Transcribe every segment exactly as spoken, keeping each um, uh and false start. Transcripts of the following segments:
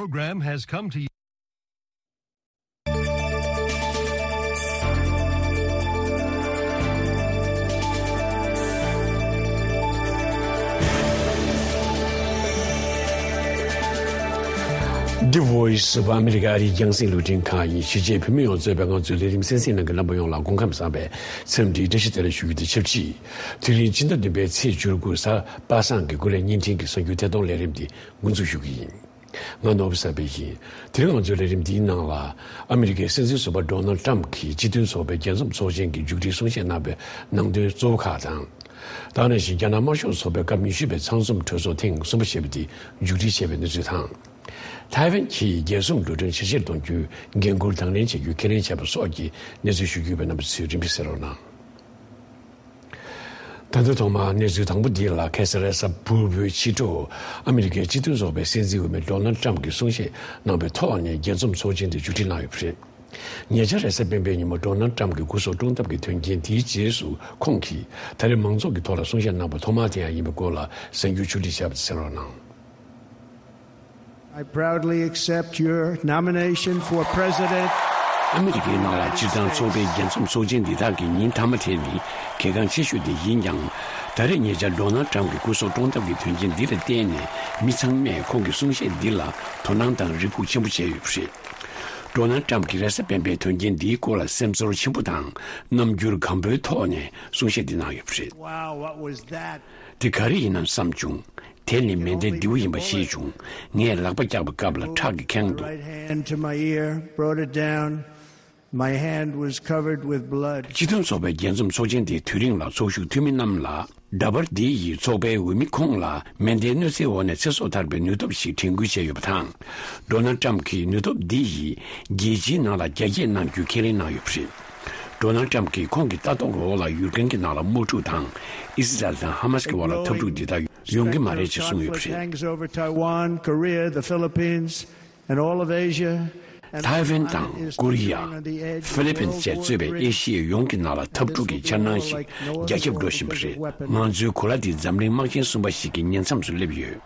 Program has come to you. The Voice of America ཨ་རིའི་རྒྱང་སྲིང་རླུང་འཕྲིན་ཁང་ཡིན། གཞིས་བྱེས་བོད་མི་ཡོངས་གཙོས་པའི་ང་ཚོའི་ལས་རིམ་གསན་གཟིགས་གནང་མཁན་རྣམ་པ་ཡོངས་ལ་སྐུ་ཁམས་བཟང་བའི་འཚམས་འདྲིའི་བཀྲ་ཤིས་བདེ་ལེགས་ཞུ་རྒྱུ་དང་ཆབས་ཅིག་དེ་རིང་ཕྱི་ཟླ་བདུན་པའི་ཚེས་བཅུ་དགུ་གཟའ་པ་སངས་ཀྱི་སྐུ་ལས་བརྙན་འཕྲིན་གྱི་གསར་འགྱུར་ཐད་གཏོང་ལས་རིམ་འདི་འགོ་འཛུགས་ཞུ་གི་ཡིན། ང་ནོར་བུ་གསར་པ་ཡིན། དེ་རིང་ང་ཚོའི་ལས་རིམ་འདིའི་ནང་ལ། ཨ་མི་རི་ཀའི་སྲིད་འཛིན་ཟུར་པ་ཌོ་ནལ་ཊམ་གྱིས་སྤྱི་མཐུན་ཚོགས་པའི་རྒྱལ་འཛོམས་ཚོགས་ཆེན་གྱི་མཇུག་སྒྲིལ་གསུང་བཤད་གནང་བའི་ནང་དོན་གཙོ་བོ་ཁག་དང་། ད་ག་ནང་བཞིན་རྒྱ་ནག་དམར་ཤོག་ཚོགས་པའི་སྐབས་ཉི་ཤུ་པའི་ཚང་འཛོམས་གྲོས་ཚོགས་ཐེངས་གསུམ་པ་ཞེས་པ་དེ་མཇུག་སྒྲིལ་བྱས་པའི་གནས་ཚུལ་དང་། ཐའེ་ཝན་གྱིས་རྒྱལ་སྲུང་འགྲོ་གྲོན་ཇེ་ཆེར་གཏོང་རྒྱུའི་འགན་འཁུར་དང་ལེན་བྱ་རྒྱུའི་ཁས་ལེན་བྱས་པ་སོགས་ཀྱི་གནས་ཚུལ་ཞུ་རྒྱུ་ཡོད་པས། རྣམ་པ་ཚོས་རིམ་པས་གསན་རོགས་གནང་། ད་ལྟ་ཐོག་མར་གནས་ཚུལ་དང་པོ་འདི་ལ། ཁ་སང་རེས་གཟའ་ཕུར་བུའི་ཕྱི་དྲོ་ཨ་མི་རི་ཀའི་སྤྱི་མཐུན་ཚོགས་པའི་སྲིད་འཛིན་འོས་མི་ཌོ་ནལ་ཊམ་གྱིས་གསུང་བཤད་གནང་བའི་ཐོག་ནས་རྒྱལ་འཛོམས་ཚོགས་ཆེན་དེ་མཇུག་སྒྲིལ་གནང་ཡོད་པ་རེད། ཉེ་ཆར་རེས་གཟའ་སྤེན་པའི་ཉིན་མོ་ཌོ་ནལ་ཊམ་གྱི་སྐུ་སྲོག་བཀྲོངས་ཐབས་ཀྱི་དོན་རྐྱེན་དེའི་རྗེས་སུ། ཁོང་གིས་ད་རེས་མང་ཚོགས་ཀྱི་ཐོག་ལ་གསུང་བཤད་གནང་བ་ཐོག་མ་དེ་ཡང་ཡིན་པའི་སྐོར་ལ་གསར་འགྱུར་ཕྱོགས་སྒྲིག་བྱས་པ་དེ་གསན་རོགས་གནང་། I proudly accept your nomination for president. ཨ་མི་རི་ཀའི་ནང་ལ་སྤྱིར་བཏང་ཚོགས་པའི་རྒྱལ་འཛོམས་ཚོགས་ཆེན་འདི་དག་གི་ཉིན་མཐའ་མ་དེ་ནི་གལ་འགངས་ཆེ་ཤོས་དེ་ཡིན་ཀྱང་། ད་རེས་ཉེ་ཆར་ཌོ་ནལ་ཊམ་གྱི་སྐུ་སྲོག་བཀྲོངས་ཐབས་ཀྱི་དོན་རྐྱེན་འདི་ལ་བརྟེན་ནས། མི་ཚང་མས་ཁོང་གི་གསུང་བཤད་འདི་ལ་དོ་སྣང་དང་རེ་སྒུག་ཆེན་པོ་བྱས་ཡོད་པ་རེད། ཌོ་ནལ་ཊམ་གྱིས་རེས་གཟའ་སྤེན་པའི་དོན་རྐྱེན་འདིའི་སྐོར་ལ་སེམས་ཚོར་ཆེན་པོ་དང་རྣམ་འགྱུར་སྒམ་པོའི་ཐོག་ནས་གསུང་བཤད་འདི་གནང་ཡོད་པ་རེད། Wow, what was that? དེ་ག་རེ་ཡིན་ནམ་བསམ་བྱུང་། དེ་ནི་མེ་མདའི་མདེའུ་ཡིན་པ་ཤེས་བྱུང་། ངས་ལག་པ་བཀྱགས་པའི་སྐབས་ལ་ཁྲག་གིས་ཁེངས་འདུག Right hand to my ear, brought it down. My hand was covered with blood. སྤྱི་མཐུན་ཚོགས་པའི་རྒྱལ་འཛོམས་ཚོགས་ཆེན་དེའི་དུས་རིང་ལ་ཚོགས་ཞུགས་འཐུས་མི་རྣམས་ལ། འདྲ་པར་འདི་ཡིས་ཚོགས་པའི་འོས་མི་ཁོང་ལ་མེ་མདའི་གནོད་འཚེའི་འོག་ནས་ཚེ་སྲོག་ཐར་པའི་ནུས་སྟོབས་ཤིག་དྲན་སྐུལ་བྱས་ཡོད་པ་དང་། ཌོ་ནལ་ཊམ་གྱིས་ནུས་སྟོབས་འདི་ཡིས་རྒྱལ་སྤྱིའི་ནང་ལ་རྒྱ་སྐྱེད་གནང་རྒྱུའི་ཁས་ལེན་གནང་ཡོད་པ་རེད། ཌོ་ནལ་ཊམ་གྱིས་ཁོང་གི་ལྟ་རྟོག་འོག་ལ་ཡུལ་གྲངས་ཀྱི་ནང་ལ་དམག་འཁྲུག་དང་། ཨི་སི་རལ་དང་ཧ་མ་སི་ཀྱི་དབར་ལ་འཐབ་འཁྲུག་འདི་དག་ཡོང་གི་མ་རེད་ཅེས་གསུངས་ཡོད་པ་རེད། Tanks over Taiwan, Korea, the Philippines, and all of Asia. And ཐའེ་ཝན་དང་ཀོ་རི་ཡ། ཧྥི་ལི་པིན་བཅས་གཙོས་པའི་ཨེ་ཤི་ཡ་ཡོངས་ཀྱི་ནང་ལ་འཐབ་འཁྲུག་གི་འཆར་སྣང་ཞིག་རྒྱ་ཁྱབ་འགྲོ་བཞིན་པ་རེད། ང་ཚོའི་གོ་ལ་འདི་འཛམ་གླིང་དམག་ཆེན་གསུམ་པ་ཞིག་གི་ཉེ་མཚམས་སུ་སླེབས་ཡོད།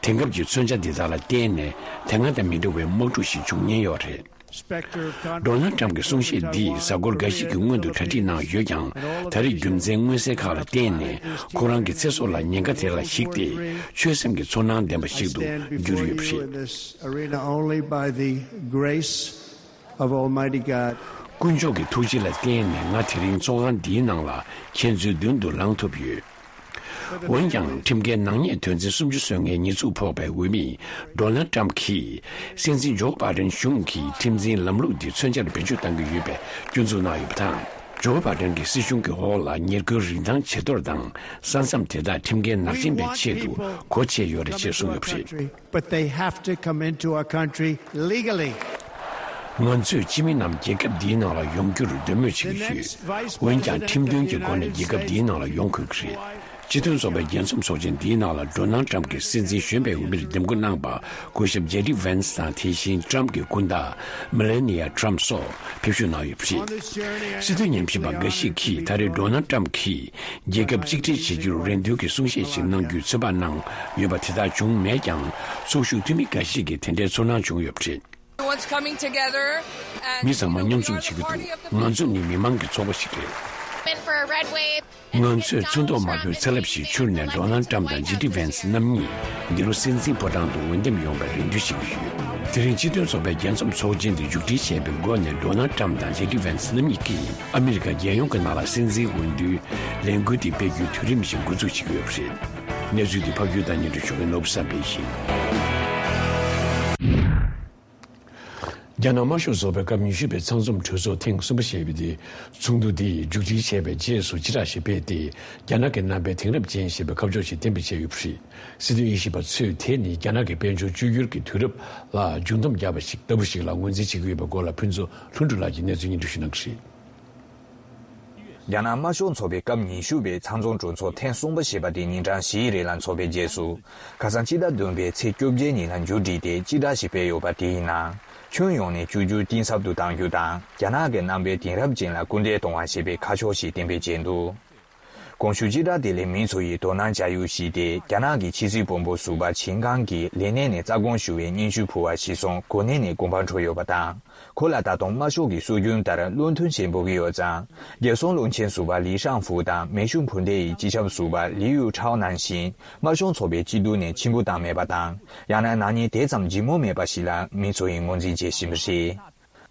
དེང་སྐབས་ཀྱི་མཚོན་ཆ་འདི་དག་ལ་བརྟེན་ནས་དེ་སྔ་དང་མི་འདྲ་བའི་དམག་འཁྲུག་ཞིག་འབྱུང་ཉེན་ཡོད་རེད། ཌོ་ནལ་ཊམ་གྱི་གསུང་བཤད་འདིས་གཟའ་འཁོར་འགའ་ཞིག་གི་སྔོན་དུ་གྲ་སྒྲིག་གནང་ཡོད་ཀྱང་། ད་རེས་རྒྱུ་མཚན་མངོན་གསལ་ཁག་ལ་བརྟེན་ནས་ཁོ་རང་གི་ཚེ་སྲོག་ལ་ཉེན་ཁ་དེ་ལ་གཞིགས་ཏེ། ཆོད་སེམས་ཀྱི་ཚོར་སྣང་ལྡན་པ་ཞིག་ཏུ་གྱུར་ཡོད་པ་རེད། Arena only by the grace of Almighty God. དཀོན་མཆོག་གི་ཐུགས་རྗེ་ལ་བརྟེན་ནས་ང་དེ་རིང་ཚོགས་ཁང་འདིའི་ནང་ལ་ཁྱེད་ཚོའི་མདུན་དུ་ལངས་ཐུབ་ཡོད། འོན་ཀྱང་། ཁྲིམས་འགལ་ནག་ཉེས་དོན་ཚན་སུམ་ཅུ་སོ་ལྔའི་ཉེས་འཛུགས་ཕོག་པའི་འོས་མི་ཌོ་ནལ་ཊམ་གྱིས་སྲིད་འཛིན་ཇོ་བྷ་ཌེན་གཞུང་གིས་ཁྲིམས་འཛིན་ལམ་ལུགས་འདི་མཚོན་ཆར་བེད་སྤྱོད་གཏང་གི་ཡོད་པའི་སྐྱོན་འཛུགས་གནང་ཡོད་པ་དང་། ཇོ་བྷ་ཌེན་གྱི་སྲིད་གཞུང་གི་འོག་ལ་ཉེར་མཁོའི་རིན་ཐང་ཇེ་མཐོར་དང་། ས་མཚམས་དེ་དག་ཁྲིམས་འགལ་ནག་ཅན་པའི་ཆེད་དུ་སྒོ་ཕྱེ་ཡོད་རེད་ཅེས་གསུངས་ཡོད་པ་རེད། But they have to come into our country legally. ང་ཚོས་སྤྱི་མི་རྣམས་རྒྱལ་ཁབ་འདིའི་ནང་ལ་ཡོང་རྒྱུར་འདོད་མོས་བྱེད་ཀྱི་ཡོད། འོན་ཀྱང་། ཁྲིམས་མཐུན་གྱི་སྒོ་ནས་རྒྱལ་ཁབ་འདིའི་ནང་ལ་ཡོང་དགོས་ཀྱི་རེད། སྤྱི་མཐུན་ཚོགས་པའི་རྒྱལ་འཛོམས་ཚོགས་ཆེན་འདིའི་ནང་ལ་ཌོ་ནལ་ཊམ་གྱི་སྲིད་འཛིན་གཞོན་པའི་འོས་མིར་འདེམས་བསྐོ་གནང་པ་སྐུ་ཞབས་ཇེ་ཌི་ཝན་སི་དང་། དེ་བཞིན་ཊམ་གྱི་སྐུ་ཟླ་མེ་ལེ་ནི་ཡ་ཊམ་སོགས་ཕེབས་ཞུགས་གནང་ཡོད་པ་རེད། སྲིད་དོན་ཉམས་ཞིབ་པ་འགའ་ཞིག་གིས་ད་རེས་ཌོ་ནལ་ཊམ་གྱིས་རྒྱལ་ཁབ་གཅིག་སྒྲིལ་བྱེད་རྒྱུར་རེ་འདུན་གྱི་གསུང་བཤད་ཞིག་གནང་རྒྱུའི་ཚོད་དཔག་གནང་ཡོད་པ་དེ་དག་བྱུང་མེད་ཀྱང་། ཚོགས་ཞུགས་འཐུས་མི་འགའ་ཞིག་གིས་དེ་འདྲའི་ཚོར་སྣང་བྱུང་ཡོད་པ་རེད། Everyone's coming together and མི་ཚང་མ་མཉམ་འཛོམས་བྱེད་ཀྱི་འདུག་ང་ཚོ་ནི་མི་མང་གི་ཚོགས་པ་ཞིག་རེད། Been for a red wave. ང་ཚོས་ཚོན་མདོག་དམར་པོའི་ཚ་རླབས་ཤིག་འཕྱུར་ནས་ཌོ་ནལ་ཊམ་དང་ཇེ་ཌི་ཝན་སི་རྣམ་གཉིས་འདི་ལོ་སྲིད་འཛིན་ཕོ་བྲང་དུ་འོས་འདེམས་ཡོང་བའི་རེ་འདུན་བྱེད་ཀྱི་ཡོད། དེ་རིང་སྤྱི་མཐུན་ཚོགས་པའི་རྒྱལ་འཛོམས་ཚོགས་ཆེན་དེ་མཇུག་སྒྲིལ་བྱས་པའི་སྒོ་ནས་ཌོ་ནལ་ཊམ་དང་ཇེ་ཌི་ཝན་སི་རྣམ་གཉིས་ཀྱིས་ཨ་མི་རི་ཀ་རྒྱལ་ཡོངས་ཀྱི་ནང་ལ་སྲིད་འཛིན་འོས་བསྡུའི་ལས་འགུལ་དེ་སྤེལ་རྒྱུའི་དུས་རིམ་ཞིག་འགོ་འཛུགས་བྱེད་ཀྱི་ཡོད་པ་རེད། གནས་ཚུལ་འདི་ཕབ་སྒྱུར་དང་སྙན་སྒྲོན་ཞུ་མཁན་ནོར་བུ་བསམ་འཕེལ་ཡིན། རྒྱ་ནག་དམར་ཤོག་ཚོགས་པའི་སྐབས་ཉི་ཤུ་པའི་ཚང་འཛོམས་གྲོས་ཚོགས་ཐེངས་གསུམ་པ་ཞེས་པའི་དེ་ཚོགས་འདུ་དེ་མཇུག་སྒྲིལ་བྱས་པའི་རྗེས་སུ་སྤྱི་བསྒྲགས་ཤིག་སྤེལ་ཏེ། རྒྱ་ནག་གི་རྣམ་པའི་དེང་རབས་ཅན་ཞེས་པའི་ཁ་ཕྱོགས་ཤིག་གཏན་འབེབས་བྱས་ཡོད་པ་རེད། སྲིད་དོན་དབྱེ་ཞིབ་པ་ཚོས་དེ་ནི་རྒྱ་ནག་གི་དཔལ་འབྱོར་བཅོས་བསྒྱུར་གྱི་དུས་རབས་ལ་མཇུག་སྡོམ་བརྒྱབ་པ་ཞིག་ལྟ་བུ་ཞིག་ལ་ངོས་འཛིན་བྱེད་ཀྱི་ཡོད་པའི་སྐོར་ལ་ཕུན་ཚོགས་ལྷུན་གྲུབ་ལགས་ཀྱིས་གནས་ཚུལ་སྙན་སྒྲོན་ཞུ་གནང་གི་རེད། རྒྱ་ནག་དམར་ཤོག་ཚོགས་པའི་སྐབས་ཉི་ཤུ་པའི་ཚང་འཛོམས་གྲོས་ཚོགས་ཐེངས་གསུམ་པ་ཞེས་པ་དེ་ཉིན་གྲངས་བཞིའི་རིང་ལ་འཚོགས་པའི་རྗེས་སུ། ཁ་སང་སྤྱི་ཟླ་བདུན་པའི་ཚེས་བཅོ་བརྒྱད་ཉིན་ལ་མཇུག་སྒྲིལ་ཏེ་སྤྱི་བསྒྲགས་ཤིག་སྤེལ་ཡོད་པ་དེའི་ནང་། ཁྱོན་ཡོངས་ནས་བཅོས་བསྒྱུར་གཏིང་ཟབ་ཏུ་གཏང་རྒྱུ་དང་། རྒྱ་ནག་གི་རྣམ་པའི་དེང་རབས་ཅན་ལ་སྐུལ་འདེད་གཏོང་བ་ཞེས་པའི་ཁ་ཕྱོགས་ཤིག་གཏན་འབེབས་བྱས་འདུག་གོང་ཞུས་སྤྱི་བསྒྲགས་དེ་ལས་མི་ཚོ་ཡིས་དོ་སྣང་བྱ་ཡུལ་ཞིག་སྟེ། རྒྱ་ནག་གི་ཕྱི་སྲིད་དཔོན་པོ་ཟུར་པ་ཆིན་ཀང་གིས་ལས་གནས་ནས་རྩ་དགོངས་ཞུ་བའི་སྙན་ཞུ་ཕུལ་བ་གཞིར་བཟུང་གོ་གནས་ནས་དགོངས་པ་འཁྲོལ་ཡོད་པ་དང་། ཁོ་ལ་ད་དུང་དམར་ཤོག་གི་སྲོལ་རྒྱུན་ལྟར་བློ་མཐུན་ཞེས་འབོད་ཀྱི་ཡོད་ཙང་། རྒྱལ་སྲུང་བློན་ཆེན་ཟུར་པ་ལི་ཧྲང་ཧྥུ་དང་མེ་ཤུགས་འཕུར་མདེལ་ཡི་སྤྱི་ཁྱབ་ཟུར་པ་ལི་ཡུའུ་ཁྲའོ་ནང་བཞིན། དམར་ཤོག་ཚོགས་པའི་སྤྱི་འཐུས་ནས་ཕྱིར་འབུད་བཏང་མེད་པ་དང་། ཡང་ན་ནག་ཉེས་དེ་ཙམ་ལྗིད་མོ་མེད་པ་ཞིག་ལ་མི་ཚོ་ཡིས་ངོས་འཛིན་བྱེད་བཞིན་པ་རེད།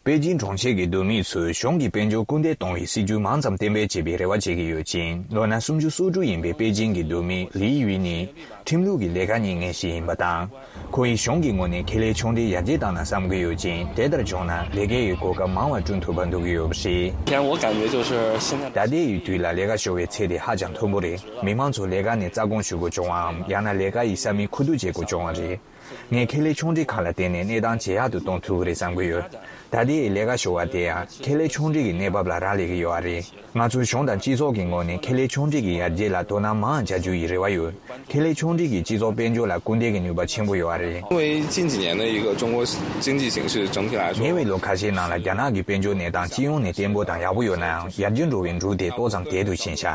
པེ་ཅིང་གྲོང་ཁྱེར་གྱི་བསྡུར་མི་ཚོས་གཞུང་གིས་དཔལ་འབྱོར་སྐུལ་འདེད་གཏོང་བའི་སྲིད་ཇུས་མང་ཙམ་གཏན་འབེབས་བྱེད་པའི་རེ་བ་བྱེད་ཀྱི་ཡོད་ཅིང་། ལོ་ན་སུམ་ཅུ་སོ་དྲུག་ཡིན་པའི་པེ་ཅིང་གི་བསྡུར་མི་ལི་ཡུས་ནི་ཁྲིམས་ལུགས་ཀྱི་ལས་ཀ་གཉེར་མཁན་ཞིག་ཡིན་པ་དང་། ཁོ་ཡིས་གཞུང་གི་ངོས་ནས་ཁེ་ལས་ཆུང་འབྲིང་ཡར་རྒྱས་བཏང་ན་བསམ་གྱི་ཡོད་ཅིང་། དེ་ལྟར་བྱུང་ན་ལས་ཀའི་གོ་སྐབས་མང་བ་བསྐྲུན་ཐུབ་པ་འདོད་ཀྱི་ཡོད་པ་རེད། 以前我感觉就是现在 ད་ལྟའི་དུས་ལ་ལས་ཀ་ཤོར་བའི་ཚད་དེ་ཧ་ཅང་མཐོན་པོ་རེད། མི་མང་ཚོ་ལས་ཀ་ནས་རྩ་དགོངས་ཞུ་དགོས་བྱུང་བའམ། ཡང་ན་ལས་ཀ་ཡི་ས་མིག་ཁུ་བསྡུ་བྱེད་དགོས་བྱུང་བ་རེད། ངས་ཁེ་ལས་ཆུང་འབྲིང་ཁག་ལ་བརྟེན་ནས་གནས་སྟངས་ཇེ་ཡག་ཏུ་གཏོང་ཐུབ་ཀྱི་རེད་བསམ་གྱི་ཡོད། ད་ལྟའི་ལས་ཀ་ཤོར་བ་དེ་ཡང་ཁེ་ལས་ཆུང་འབྲིང་གི་གནས་བབ་ལ་རག་ལས་ཀྱི་ཡོད་པ་རེད། ང་ཚོས་གཞུང་དང་སྤྱི་ཚོགས་ཀྱི་ངོས་ནས་ཁེ་ལས་ཆུང་འབྲིང་གི་ཡར་རྒྱས་ལ་དོ་སྣང་མང་བྱ་རྒྱུ་ཡི་རེ་བ་ཡོད། ཁེ་ལས་ཆུང་འབྲིང་གིས་སྤྱི་ཚོགས་དཔལ་འབྱོར་ལ་སྐུལ་འདེད་ཀྱི་ནུས་པ་ཆེན་པོ་ཡོད་པ་རེད། 因为近几年的一个中国经济形势整体来说， ཉེ་བའི་ལོ་ཁ་ཤས་ནང་ལ་རྒྱ་ནག་གི་དཔལ་འབྱོར་གནས་སྟངས་སྤྱི་ཡོངས་ནས་བརྟན་པོ་དང་ཡག་པོ་ཡོད་ན་ཡང་། ཡར་རྒྱས་འགྲོ་བའི་འགྲོས་དེ་ཏོག་ཙམ་དལ་དུ་ཕྱིན་ཤག་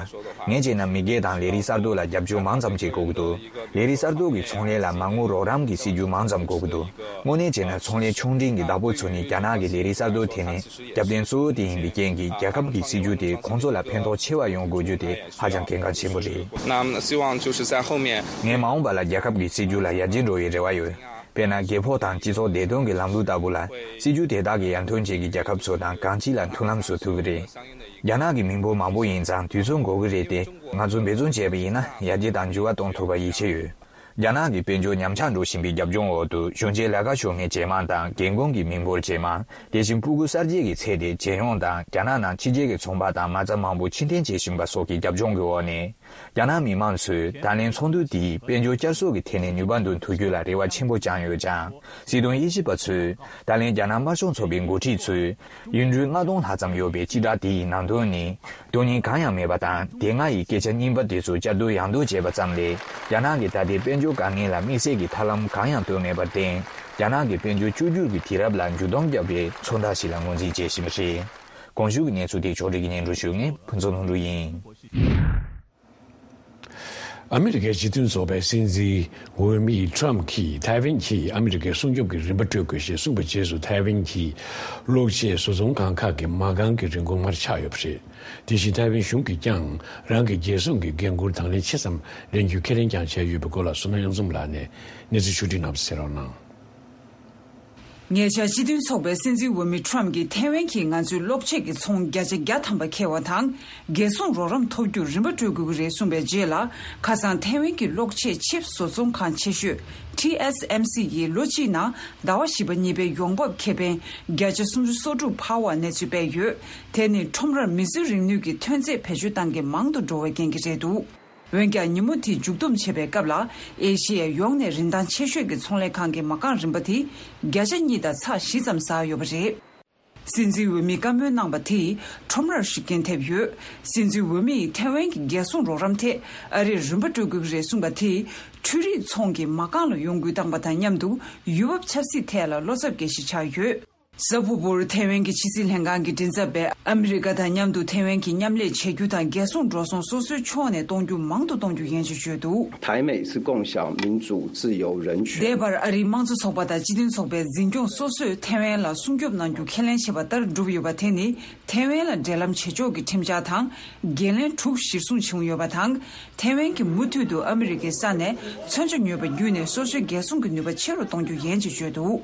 ངས་བྱས་ན་མི་སྒེར་དང་ལས་རིགས་གསར་གཏོད་ལ་རྒྱབ་སྐྱོར་མང་ཙམ་བྱེད་དགོས་ཀྱི་འདུག་ལས་རིགས་གསར་གཏོད་ཀྱི་ཚོང་ལས་ལ་མ་དངུལ་རོགས་རམ་གྱི་སྲིད་ཇུས་མང་ཙམ་དགོས་ཀྱི་འདུག་དངོས་གནས་བྱས་ན་ཚོང་ལས་ཆུང་འབྲིང་གི་བདག་པོ་ཚོ་ནི་རྒྱ་ནག་གི་ལས་རིགས་གསར་གཏོད་དེ་ནི་རྒྱབ་རྟེན་གཙོ་བོ་དེ་ཡིན་པའི་རྐྱེན་གྱིས། རྒྱལ་ཁབ་ཀྱི་སྲིད་ཇུས་དེ་ཁོང་ཚོ་ལ་ཕན་ཐོགས་ཆེ་བ་ཡོང་དགོས་རྒྱུ་དེ་ཧ་ཅང་གལ་འགངས་ཆེན་པོ་རེད། 那么希望就是在后面 ངས་མ་འོངས་པ་ལ་རྒྱལ་ཁབ་ཀྱི་སྲིད་ཇུས་ལ་ཡར་རྒྱས་འགྲོ་བའི་རེ་བ་ཡོད། དཔེར་ན། རྒྱལ་ཕོགས་དང་སྤྱི་ཚོགས་བདེ་དོན་གྱི་ལམ་ལུགས་ལྟ་བུ་ལ། སྲིད་ཇུས་དེ་དག་གིས་ཡར་ཐོན་ཅན་གྱི་རྒྱལ་ཁབ་ཚོ་དང་གང་ཅི་ལ་མཐུན་ལམ་བཟོ་ཐུབ་ཀྱི་རེད། རྒྱ་ནག་གི་མི་འབོར་མང་པོ་ཡིན་ཙང་དུས་ཚོད་འགོར་གྱི་རེད་དེ། ང་ཚོས་འབད་བརྩོན་བྱས་པ་ཡིན་ན་ཡར་རྒྱས་དང་འགྱུར་བ་གཏོང་ཐུབ་པར་ཡིད་ཆེས་ཡོད། རྒྱ་ནག་གི་དཔལ་འབྱོར་ཉམས་ཆག་འགྲོ་བཞིན་པའི་རྒྱབ་ལྗོངས་འོག་ཏུ། གཞོན་སྐྱེས་ལས་ཀ་ཤོར་མཁན་ཇེ་མང་དང་། རྒན་རྒོན་གྱི་མི་འབོར་ཇེ་མང་། དེ་བཞིན་སྤུ་གུ་གསར་སྐྱེས་ཀྱི་ཚད་དེ་ཇེ་ཉུང་དང་། རྒྱ་ནག་ནང་ཕྱི་རྒྱལ་གྱི་ཚོང་པ་དང་མ་རྩ་མང་པོ་ཕྱིར་འཐེན་བྱེད་བཞིན་པ་སོགས་ཀྱི་རྒྱབ་ལྗོངས་ཀྱི་འོག་ནས། རྒྱ་ནག་མི་མང་ཚོས་ད་ལན་ཚོགས་འདུ་དེས་དཔལ་འབྱོར་བསྐྱར་གསོ་གི་ཐད་ནས་ནུས་པ་འདོན་ཐུབ་རྒྱུ་ལ་རེ་བ་ཆེན་པོ་བཅངས་ཡོད་ཀྱང་། སྲིད་དོན་དབྱེ་ཞིབ་པ་ཚོས་ད་ལན་རྒྱ་ནག་དམར་ཤོག་ཚོགས་པའི་འགོ་ཁྲིད་ཚོས་ཡུལ་གྲུ་ལྔ་སྟོང་ལྷག་ཙམ་ཡོད་པའི་སྤྱི་བསྒྲགས་དེ་ཡི་ནང་དོན་ནི། དོན་སྙིང་གང་ཡང་མེད་པ་དང་། སྡེ་ལྔ་ཡི་སྐད་ཆ་རྙིང་པ་དེ་ཚོ་བསྐྱར་ཟློས་ཡང་ཟློས་བྱས་པ་ཙམ་ལས། རྒྱ་ནག་གི་ད་ལྟའི་དཔལ་འབྱོར་དཀའ་ངལ་ལ་དམིགས་བསལ་གྱི་ཐབས་ལམ་གང་ཡང་བཏོན་མེད་པར་བརྟེན། རྒྱ་ནག་གི་དཔལ་འབྱོར་བཅོས་བསྒྱུར་གྱི་དུས་རབས་ལ་འགྱུར་ལྡོག་བརྒྱབ་པའི་མཚོན་རྟགས་ཤིག་ལ་ངོས་འཛིན་བྱེད་བཞིན་པ་རེད། གོང་ཞུས་ཀྱི་གནས་ཚུལ་དེ་ཕྱོགས་སྒྲིག་གིས་སྙན་སྒྲོན་ཞུ་མཁན་ཕུན་ཚོགས་ལྷུན་གྲུབ་ཡིན། ཨ་མི་རི་ཀའི་སྤྱི་མཐུན་ཚོགས་པའི་སྲིད་འཛིན་འོས་མི་ཊམ་གྱིས་ཐའེ་ཝན་གྱིས་ཨ་མི་རི་ཀའི་སྲུང་སྐྱོབ་ཀྱི་རིན་པ་སྤྲོད་དགོས་ཞེས་གསུངས་པའི་རྗེས་སུ། ཐའེ་ཝན་གྱི་གློག་ཆས་བཟོ་ཚོང་ཁང་ཁག་གི་མ་རྐང་གི་རིན་གོང་སྔར་ཆག་ཡོད་པ་རེད། དེ་བཞིན་ཐའེ་ཝན་གཞུང་གིས་ཀྱང་རང་གི་རྒྱལ་སྲུང་གི་འགན་འཁུར་དང་ལེན་ཆེ་ཙམ་ལེན་རྒྱུའི་ཁས་ལེན་ཀྱང་བྱས་ཡོད་པའི་སྐོར་ལ། བསོད་ནམས་གཡང་འཛོམས་ལགས་ནས་གནས་ཚུལ་ཕྱོགས་སྒྲིག་གནང་བ་གསན་རོགས་གནང་། ཉེ་ཆར་སྤྱི་མཐུན་ཚོགས་པའི་སྲིད་འཛིན་འོས་མི་ཊམ་གྱིས་ཐའེ་ཝན་གྱིས་ང་ཚོའི་གློག་ཆས་ཀྱི་ཚོང་བརྒྱ་ཆ་བརྒྱ་ཐམ་པ་འཁྱེར་བ་དང་། རྒྱལ་སྲུང་རོགས་རམ་ཐོབ་རྒྱུར་རིན་པ་སྤྲོད་དགོས་ཀྱི་རེད་གསུངས་པའི་རྗེས་ལ། ཁ་སང་ཐའེ་ཝན་གྱི་གློག་ཆས་ཆིབས་བཟོ་ཚོང་ཁང་ཆེ་ཤོས་ཊི་ཨེས་ཨེམ་སི་ཡིས་ལོ་གཅིག་ནང་ཟླ་བ་བཞི་པ་གཉིས་པའི་ཡོང་འབབ་ཁེ་ཕན་བརྒྱ་ཆ་སུམ་ཅུ་སོ་དྲུག་འཕར་བ་གནས་ཚུལ་སྤེལ་ཡོད། དེ་ནི་ཁྲོམ་རར་མི་སེར་རིག་ནུས་ཀྱི་ཐོན་རྫས་བེད་སྤྱོད་སྟངས་ཀྱིས་མང་དུ་འགྲོ་བའི་རྐྱེན་གྱིས་རེད་འདུག་འོན་ཀྱང་། ཉིན་མོ་དེ་མཇུག་བསྡོམས་བྱེད་པའི་སྐབས་ལ། ཨེ་ཤེ་ཡ་ཡོངས་ནས་རིན་ཐང་ཆེ་ཤོས་ཀྱི་ཚོང་ལས་ཁང་གི་མ་རྐང་རིན་པ་དེ་བརྒྱ་ཆ་གཉིས་དང་ཚེག་བཞི་ཙམ་ཟག་ཡོད་པ་རེད། སྲིད་འཛིན་འོས་མིས་བཀའ་མོལ་གནང་བ་དེས་ཁྲོམ་རར་ཤུགས་རྐྱེན་ཐེབས་ཡོད། སྲིད་འཛིན་འོས་མི་ཡིས་ཐའེ་ཝན་གྱི་རྒྱལ་སྲུང་རོགས་རམ་ཐད་ཨ་རིར་རིན་པ་སྤྲོད་དགོས་ཀྱི་རེད་གསུངས་པ་དེས། འཕྲུལ་རིག་ཚོང་གི་མ་རྐང་ལ་ཡོང་སྒོ་བཏང་པ་དང་མཉམ་དུ། ཡུལ་བབ་ཆབ་སྲིད་ཐད་ལ་བློ་འཚབ་སྐྱེ་གཞི་ཆགས་ཡོད། གཟའ་ཕུར་བུར་ཐའེ་ཝན་གྱི་ཕྱི་སྲིད་ལྷན་ཁང་གི་མགྲིན་ཚབ་པས། ཨ་མི་རི་ཀ་དང་མཉམ་དུ་ཐའེ་ཝན་གྱི་མཉམ་ལས་བྱེད་རྒྱུ་དང་། རྒྱལ་སྲུང་འགྲོ་སོང་སོ་སོའི་ཕྱོགས་ནས་གཏོང་རྒྱུ་མང་དུ་གཏོང་རྒྱུ་ཡིན་ཞེས་བརྗོད་འདུག། 台美是共享民主、自由、人权。 འདས་པར་ཨ་རིའི་དམངས་གཙོ་ཚོགས་པ་དང་སྤྱི་མཐུན་ཚོགས་པའི་འཛིན་སྐྱོང་སོ་སོས་ཐའེ་ཝན་ལ་སྲུང་སྐྱོབ་གནང་རྒྱུ་ཁས་ལེན་བྱས་པ་ལྟར་བསྒྲུབས་ཡོད་པ་དེ་ནི། ཐའེ་ཝན་ལ་འབྲེལ་ལམ་བྱེད་ཕྱོགས་ཀྱི་ཁྲིམས་འཆར་དང་། འགན་ལེན་དྲུག་གཞིར་བཟུང་བྱུང་ཡོད་པ་དང་། ཐའེ་ཝན་གྱིས་མུ་མཐུད་དུ་ཨ་མི་རི་ཀའི་ས་ནས་མཚོན་ཆ་ཉོས་པ་བརྒྱུད་ནས་སོ་སོའི་རྒྱལ་སྲུང་གི་ནུས་པ་ཆེ་རུ་གཏོང་རྒྱུ་ཡིན་ཞེས་བརྗོད་འདུག།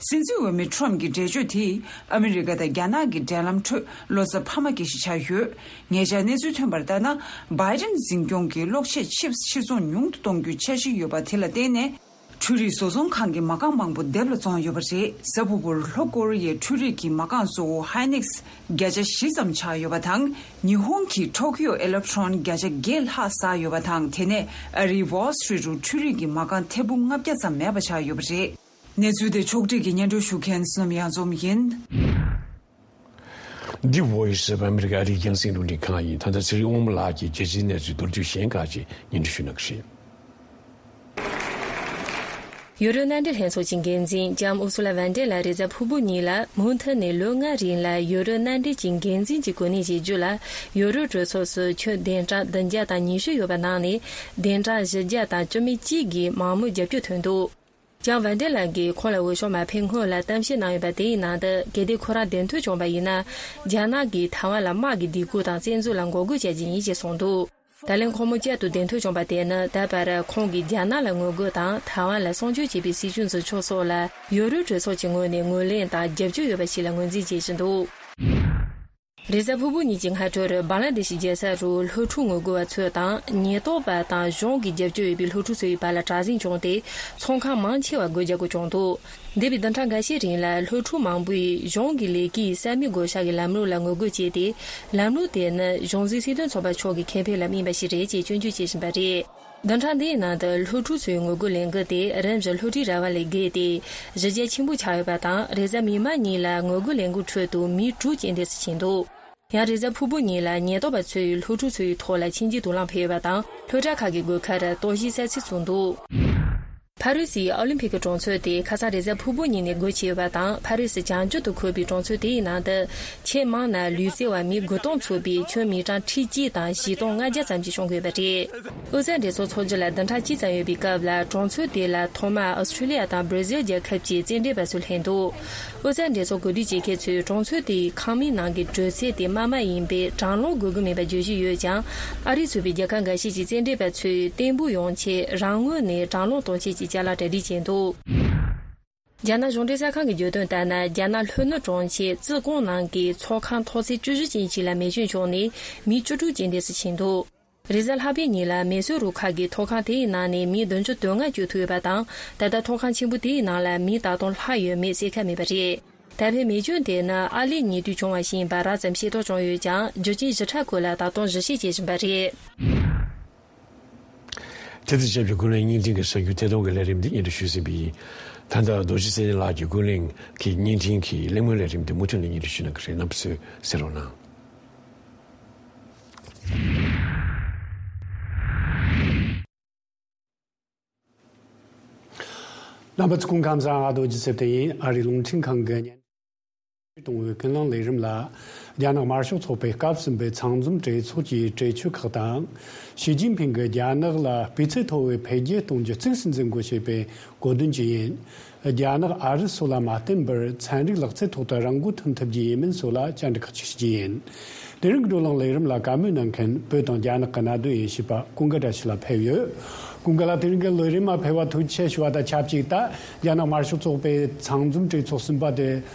སྲིད་འཛིན་འོས་མི་ཁྲོམ་གྱི་འགྲེལ་བརྗོད་དེས་ཨ་མི་རི་ཀ་དང་རྒྱ་ནག་གི་འབྲེལ་ལམ་ཁྲོད་བློ་འཚབ་འཕར་མ་སྐྱེ་གཞི་ཆགས་ཡོད། ཉེ་ཆར་གནས་ཚུལ་ཐོན་པར་ལྟར་ན། བྷའི་ཌེན་འཛིན་སྐྱོང་གིས་གློག་ཆས་ཆིབས་ཕྱིར་ཚོང་ཉུང་དུ་གཏོང་རྒྱུའི་འཆར་གཞི་ཡོད་པ་དེ་ལ་བརྟེན་ནས། འཕྲུལ་རིག་བཟོ་ཚོང་ཁང་གི་མ་རྐང་མང་པོ་སྡེབ་ལ་བཙོངས་ཡོད་པ་རེད། གཟའ་ཕུར་བུར་ལྷོ་ཀོ་རི་ཡའི་འཕྲུལ་རིག་གི་མ་རྐང་གཙོ་བོ་ཧའི་ནིག་སི་བརྒྱ་ཆ་བཞི་ཙམ་ཆག་ཡོད་པ་དང་། ཉི་ཧོང་གི་ཊོ་ཀི་ཡོ་ཨེ་ལེག་ཊོན་བརྒྱ་ཆ་བརྒྱད་ལྷག་ཟག་ཡོད་པ་དང་། དེ་ནས་ཨ་རིའི་ཝོལ་སི་ཊི་རིཊ་རུ་འཕྲུལ་རིག་གི་མ་རྐང་ཐེར་འབུམ་ལྔ་བརྒྱ་ཙམ་མེད་པ་ཆགས་ཡོད་པ་རེད། གནས་ཚུལ་དེ་ཕྱོགས་སྒྲིག་གིས་སྙན་སྒྲོན་ཞུ་མཁན་བསོད་ནམས་གཡང་འཛོམས་ཡིན། འདི་Voice of America ཨ་རིའི་རྒྱང་སྲིང་རླུང་འཕྲིན་ཁང་ཡིན། ད་ལྟ་ཚེ་རིང་དབང་མོ་ལགས་ཀྱིས་རྒྱལ་སྤྱིའི་གནས་ཚུལ་མདོར་བསྡུས་གཞན་ཁག་ཅིག་སྙན་སྒྲོན་ཞུ་གནང་གི་རེད། ཡོ་རོབ་མནའ་འབྲེལ་ལྷན་ཚོགས་ཀྱི་འགན་འཛིན་ལྕམ་ཨུ་སུ་ལ་ཝན་ཏེ་ལ་རེས་གཟའ་ཕུར་བུ་ཉིན་ལ་མུ་མཐུད་ནས་ལོ་ལྔའི་རིང་ལ་ཡོ་རོབ་མནའ་འབྲེལ་གྱི་འགན་འཛིན་གྱི་གོ་གནས་བཞེས་རྒྱུ་ལ་ཡོ་རོབ་གྲོས་ཚོགས་སུ་ཁྱོན་བདུན་ཕྲག་བདུན་བརྒྱ་དང་ཉི་ཤུ་ཡོད་པ་ནང་ནས་བདུན་ཕྲག་བཞི་བརྒྱ་དང་བཅུ་མེད་གཅིག་གིས་མང་མོས་རྒྱབ་སྐྱོར་ཐོན་འདུག་ལྕམ་ཝན་ཏེ་ལ་གིས་ཁོང་ལ་འོས་ཤོག་མ་ཕུལ་སྔོན་ལ་གཏམ་བཤད་གནང་ཡོད་པ་དེའི་ནང་དུ། གལ་ཏེ་ཁོ་རང་དོན་ཐོག་བྱུང་བ་ཡིན་ན། རྒྱ་ནག་གིས་ཐའེ་ཝན་ལ་དམག་གི་སྡིགས་སྐུལ་དང་བཙན་འཛུལ་ལ་འགོག་རྒོལ་བྱ་རྒྱུ་ཡིན་ཞེས་གསུངས་འདུག་ད་ལན་ཁོང་མོ་བསྐྱར་དུ་དོན་ཐོག་བྱུང་བ་དེ་ནི། ད་བར་ཁོང་གིས་རྒྱ་ནག་ལ་ངོ་རྒོལ་དང་ཐའེ་ཝན་ལ་སྲུང་སྐྱོབ་བྱེད་པའི་སྲིད་བྱུས་འཛིན་ཕྱོགས་སོགས་ལ་ཡོ་རོབ་གྲོས་ཚོགས་ཀྱི་ངོས་ནས་ངོས་ལེན་དང་རྒྱབ་སྐྱོར་ཡོད་པ་ཞིག་ལ་ངོས་འཛིན་བྱེད་བཞིན་འདུག་རེས་གཟའ་ཕུར་བུ་ཉིན་གྱི་སྔ་དྲོར་བང་ལ་དེ་ཤི་རྒྱལ་ས་རུ་སློབ་ཕྲུག་ངོ་རྒོལ་བ་ཚོ་དང་། ཉེན་རྟོག་པ་དང་གཞུང་གི་རྒྱབ་སྐྱོར་ཡོད་པའི་སློབ་ཕྲུག་ཚོའི་བར་ལ་དྲག་ཟིང་བྱུང་སྟེ། ཚོང་ཁང་མང་ཆེ་བ་སྒོ་རྒྱག་དགོས་བྱུང་འདུག་འདས་པའི་བདུན་ཕྲག་འགའ་ཤས་རིང་ལ་སློབ་ཕྲུག་མང་པོས་གཞུང་གི་ལས་ཀའི་ས་མིག་བགོ་བཤའ་གི་ལམ་ལུགས་ལ་ངོ་རྒོལ་བྱས་ཏེ། ལམ་ལུགས་དེ་ནི་གཞུང་འཛིན་སྲིད་དོན་ཚོགས་པ་མཆོག་གི་ཁེ་ཕན་ལ་དམིགས་པ་ཞིག་རེད་ཅེས་སྐྱོན་བརྗོད་བྱེད་བཞིན་པ་རེད། བདུན་ཕྲག་འདིའི་ནང་དུ་སློབ་ཕྲུག་ཚོའི་ངོ་རྒོལ་ལས་འགུལ་དེ་རིམ་བཞིན་སློབ་གྲྭའི་ར་བ་ལས་བརྒལ་ཏེ་གཞི་རྒྱ་ཆེན་པོ་ཆགས་ཡོད་པ་དང་། རེས་གཟའ་མིག་དམར་ཉིན་ལ་ངོ་རྒོལ་ལས་འགུལ་ཁྲོད་དུ་མི་དྲུག་རྐྱེན་འདས་སུ་ཕྱིན་འདུག་ཡང་རེས་གཟའ་ཕུར་བུ་ཉིན་ལ་ཉེན་རྟོག་པ་ཚོས་སློབ་ཕྲུག་ཚོའི་ཐོག་ལ་མཆིན་ལྕེའི་དུག་རླངས་འཕེན་ཡོད་པ་དང་། སློབ་གྲྭ་ཁག་གི་སྒོ་ཁར་གཏོར་བཤིག་ས་ཚིགས་བཙུགས་འདུག་ཕ་རི་སིའི་ཨོ་ལིམ་ཕིག་གི་གྲོང་ཚོ་དེ་ཁ་སང་རེས་གཟའ་ཕུར་བུ་ཉིན་ནས་སྒོ་ཕྱེ་ཡོད་པ་དང་། ཕ་རི་སི་བྱང་ཕྱོགས་སུ་འཁོད་པའི་གྲོང་ཚོ་དེའི་ནང་དུ་ཆེས་མང་ན་ལུས་རྩལ་བ་མི་དགུ་སྟོང་ཚུད་པའི་ཁྱོན་མི་གྲངས་ཁྲི་གཅིག་དང་བཞི་སྟོང་ལྔ་བརྒྱ་ཙམ་ཞིག་ཤོང་གི་ཡོད་པ་རེད། ཨོ་རྩལ་འགྲན་ཚོགས་འཚོགས་རྒྱུ་ལ་བདུན་ཕྲག་གཅིག་ཙམ་ཡོད་པའི་སྐབས་ལ། གྲོང་ཚོ་དེ་ལ་ཐོག་མར་ཨོ་སི་ཁྲུ་ལི་ཡ་དང་སྦྲ་ཟིལ་རྒྱལ་ཁབ་ཀྱི་རྩེད་འགྲན་པ་ཚོ་སླེབས་འདུག་ཨོ་རྩལ་འགྲན་ཚོགས་གོ་སྒྲིག་བྱེད་མཁན་ཚོས་གྲོང་ཚོ་དེའི་ཁང་མིག་ནང་གི་དྲོད་ཚད་དེ་དམའ་མ་ཡིན་པས་གྲང་རླུང་དགོས་ཀྱི་མེད་པ་བརྗོད་བཞིན་ཡོད་ཀྱང་། ཨ་རི་ཚུད་པའི་རྒྱལ་ཁབ་འགའ་ཤས་ཀྱི་རྩེད་འགྲན་པ་ཚོས་བརྟན་པོ་ཡོང་ཆེད་རང་ངོས་ནས་གྲང་རླུང་གཏོང་ཆེད་ཀྱི་ཅ་ལག་གྲ་སྒྲིག་བྱས་འདུག་རྒྱ་ནག་གཞུང་འབྲེལ་གསར་ཁང་གིས་བརྗོད་དོན་ལྟར་ན། རྒྱ་ནག་ལྷོ་ནུབ་གྲོང་ཁྱེར་ཙི་ཀོང་ནང་གི་ཚོགས་ཁང་ཐོག་ཚད་བཅུ་བཞི་ཅན་ཞིག་ལ་མེ་སྐྱོན་བྱུང་ནས་མི་བཅུ་དྲུག་རྐྱེན་འདས་སུ་ཕྱིན་འདུག་རེས་གཟའ་ལྷག་པའི་ཉིན་ལ་མེ་གསོད་རུ་ཁག་གིས་ཐོག་ཁང་དེའི་ནང་ནས་མི་བདུན་ཅུ་དོན་ལྔ་བསྐྱོད་ཐུབ་ཡོད་པ་དང་། ད་ལྟ་ཐོག་ཁང་ཆེན་པོ་དེའི་ནང་ལ་མི་དག་སྟོང་ལྷག་ཡོད་མེད་གསལ་ཁ་མེད་པ་རེད། ད་ཕན་མེ་སྐྱོན་དེ་ནི་ཨར་ལས་ཉེ་དུས་བྱུང་བ་ཞིག་ཡིན་པ་རགས་ཙམ་ཤེས་རྟོགས་བྱུང་ཡོད་ཀྱང་། རྒྱུ་རྐྱེན་ཞིབ་ཕྲ་སྐོར་ལ་ད་དུང་ཞིབ་བཤེར་བྱེད་བཞིན་པ་རེད། དེ་དང་ཆབས་ཅིག་ཀུན་གླེང་བརྙན་འཕྲིན་གྱི་གསར་འགྱུར་ཐད་གཏོང་གི་ལས་རིམ་འདི་སྙན་སྒྲོན་ཞུས་ཟིན་པ་ཡིན། ད་ལྟ་རྡོ་རྗེ་ཚེ་བརྟན་ལགས་ཀྱིས་ཀུན་གླེང་གི་བརྙན་འཕྲིན་གྱི་གླེང་མོལ་ལས་རིམ་འདི་མུ་མཐུད་ནས་སྙན་སྒྲོན་ཞུ་གནང་གི་རེད། རྣམ་པ་ཚོས་གསན་རོགས་གནང་། རྣམ་པ་ཚོ་སྐུ་ཁམས་བཟང་། ང་རྡོ་རྗེ་ཚེ་བརྟན་ཡིན། ཨ་རིའི་རླུང་འཕྲིན་ཁང་གི་བརྙན་འཕྲིན་གཏོང་བའི་ཀུན་གླེང་ལས་རིམ་ལ། རྒྱ་ནག་དམར་ཤོག་ཚོགས་པའི་སྐབས་གསུམ་པའི་ཚང་འཛོམས་གྲོས་ཚོགས་ཀྱི་གྲོས་ཆོད་ཁག་དང་། ཞི་ཅིན་ཕིང་གིས་རྒྱ་ནག་ལ་སྤུས་ཚད་མཐོ་བའི་འཕེལ་རྒྱས་གཏོང་རྒྱུ་གཙིགས་སུ་འཛིན་དགོས་ཞེས་པའི་གོ་དོན་བཅས་ཡིན། རྒྱ་ནག་ཨ་རི་སོགས་ལ་མ་བརྟེན་པར་ཚན་རིག་ལག་རྩལ་ཐོག་ཏུ་རང་མགོ་ཐོན་ཐུབ་རྒྱུ་ཡིན་མིན་སོགས་ལ་བཅར་འདྲི་ཁག་ཅིག་ཞུ་རྒྱུ་ཡིན། དེ་རིང་གི་བགྲོ་གླེང་ལས་རིམ་ལ་བཀའ་མོལ་གནང་མཁན་བོད་དང་རྒྱ་ནག་གི་གནད་དོན་དབྱེ་ཞིབ་པ་ཀུན་དགའ་བཀྲ་ཤིས་ལགས་ཕེབས་ཡོད། ཀུན་དགའ་ལགས། དེ་རིང་གི་ལས་རིམ་མ་ཕེབས་པར་ཐུགས་རྗེ་ཆེ་ཞུ་བ་དང་ཆབས་ཅིག་ད་རྒྱ་ནག་དམར་ཤོག་ཚོགས་པའི་ཚང་འཛོམས་གྲོས་ཚོགས་གསུམ་པ་དེ་